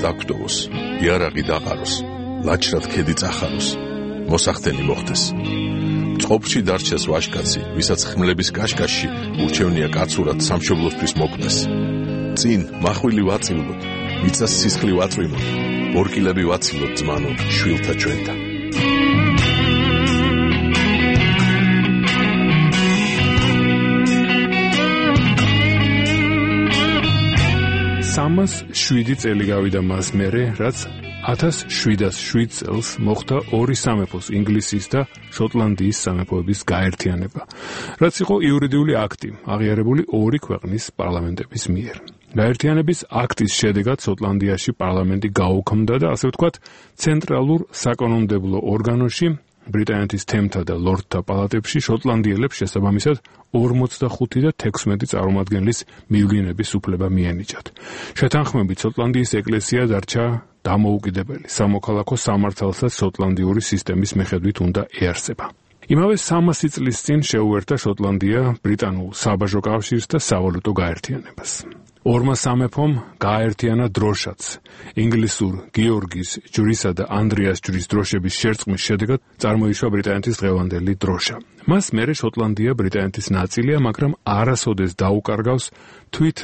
დაგვდოვოს, იარაღი დაყაროს, ლაჩრად ქედი წახაროს, მოსახდენი მოხდეს. წყობში დარჩეს ვაჟკაცი, ვისაც ხმლების კაშკაშში ურჩევნია კაცურად სამშობლოსთვის მოკვდეს. წინ მახვილი ვაწილოთ, მიწას სისხლი ვაწვიმოთ, ორკილები ვაცილოთ ძმანო, შვილთა ჩვენთა. სამას შვიდი წელი გავიდა მას მერე, რაც ათას შვიდას შვიდ წელს მოხდა ორი სამეფოს, ინგლისის და შოტლანდიის სამეფოების გაერთიანება, რაც იყო იურიდიული აქტი, აღიარებული ორი ქვეყნის პარლამენტების მიერ. გაერთიანების აქტის შედეგად შოტლანდიაში პარლამენტი გაუქმდა და ასე ვთქვათ, ცენტრალურ საკანონმდებლო ორგანოში ბრიტანეთის თემთა და ლორდთა პალატებში შოტლანდიელებს შესაბამისად ორმოცდახუთი და თექვსმეტი წარმომადგენლის მივლინების უფლება მიენიჭათ. შეთანხმებით შოტლანდიის ეკლესია დარჩა დამოუკიდებელი, სამოქალაქო სამართალსაც შოტლანდიური სისტემის მიხედვით უნდა ეარსება. იმავე სამასი წლის წინ შეუერთა შოტლანდია ბრიტანულ საბაჟო კავშირს და სავალუტო გაერთიანებას. ორმა სამეფომ გააერთიანა დროშაც. ინგლისურ გიორგის ჯვრისა და ანდრიას ჯვრის დროშების შერწყმის შედეგად წარმოიშვა ბრიტანეთის დღევანდელი დროშა. მას მერე შოტლანდია ბრიტანეთის ნაწილია, მაგრამ არასოდეს დაუკარგავს თვით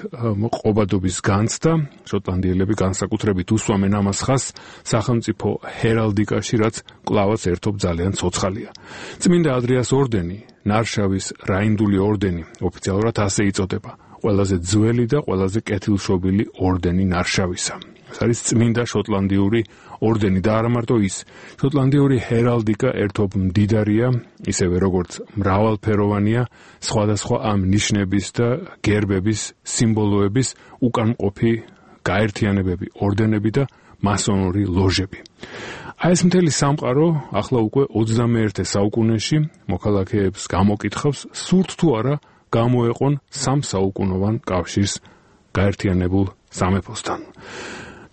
ყობადობის განცდა. შოტლანდიელები განსაკუთრებით უსვამენ ამას ხაზს სახელმწიფო ჰერალდიკაში, რაც კვლავაც ერთობ ძალიან ცოცხალია. წმინდა ადრიას ორდენი, ნარშავის რაინდული ორდენი, ოფიციალურად ასე იწოდება. ყველაზე ძველი და ყველაზე კეთილშობილი ორდენი ნარშავისა. ეს არის წმინდა შოტლანდიური ორდენი და არა მარტო ის. შოტლანდიური ჰერალდიკა ერთობ მდიდარია, ისევე როგორც მრავალფეროვანია სხვადასხვა ამ ნიშნების და გერბების, სიმბოლოების უკანმყოფი გაერთიანებები, ორდენები და მასონური ლოჟები. აი ეს მთელი სამყარო ახლა უკვე ოცდამეერთე საუკუნეში მოქალაქეებს გამოკითხავს, სურთ თუ არა გამოეყონ სამ საუკუნოვან კავშირს გაერთიანებულ სამეფოსთან.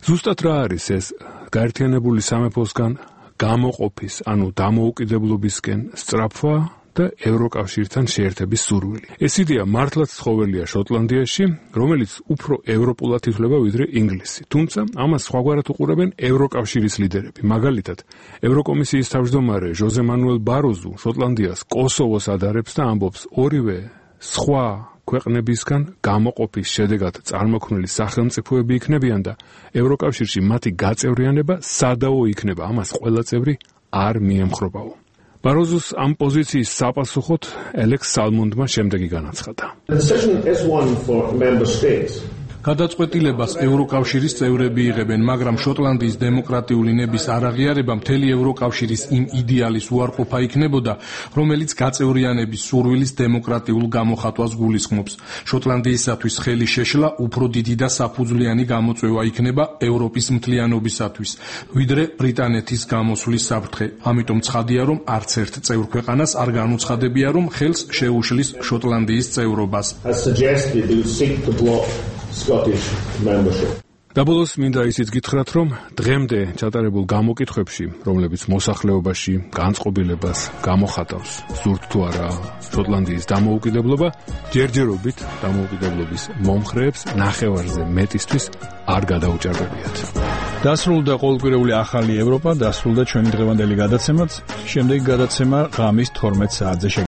ზუსტად რა არის ეს გაერთიანებული სამეფოსგან გამოყოფის, ანუ დამოუკიდებლობისკენ სწრაფვა და ევროკავშირთან შეერთების სურვილი. ეს იდეა მართლაც ცხოველია შოტლანდიაში, რომელიც უფრო ევროპულად ითვლება ვიდრე ინგლისი. თუმცა ამას სხვაგვარად უყურებენ ევროკავშირის ლიდერები. მაგალითად, ევროკომისიის თავმჯდომარე ჟოზე მანუელ ბაროზუ შოტლანდიას კოსოვოს ადარებს და ამბობს, ორივე სხვა ქვეყნებისგან გამოყოფის შედეგად წარმოქმნილი სახელმწიფოები იქნებიან და ევროკავშირში მათი გაწევრიანება სადაო იქნება, ამას ყველა წევრი არ მიემხრობაო. ბაროზუს ამ პოზიციის საპასუხოდ ელექს სალმონდმა შემდეგი განაცხადა. გადაწყვეტილებას ევროკავშირის წევრები იღებენ, მაგრამ შოტლანდიის დემოკრატიული ნების არაღიარება მთელი ევროკავშირის იმ იდეალის უარყოფა იქნებოდა, რომელიც გაწევრიანების სურვილის დემოკრატიულ გამოხატვას გულისხმობს. შოტლანდიისათვის ხელი შეშლა უფრო დიდი და საფუძვლიანი გამოწვევა იქნება ევროპის მთლიანობისათვის, ვიდრე ბრიტანეთის გამოსვლის საფრთხე. ამიტომ ცხადია, რომ არც ერთ წევრ ქვეყანას არ განუცხადებია, რომ ხელს შეუშლის შოტლანდიის წევრობას. Scottish membership. დაბოლოს მინდა ისიც გითხრათ, რომ დღემდე ჩატარებულ გამოკითხვებში, რომლებიც მოსახლეობაში განწყობილებას გამოხატავს, სურთ თუ არა შოტლანდიის დამოუკიდებლობა, ჯერჯერობით დამოუკიდებლობის მომხრეებს ნახევარზე მეტისთვის არ გადაუჭარბებიათ. დასრულდა ყოველკვირეული ახალი ევროპა, დასრულდა ჩვენი დღევანდელი გადაცემაც. შემდეგი გადაცემა ღამის თორმეტ საათზე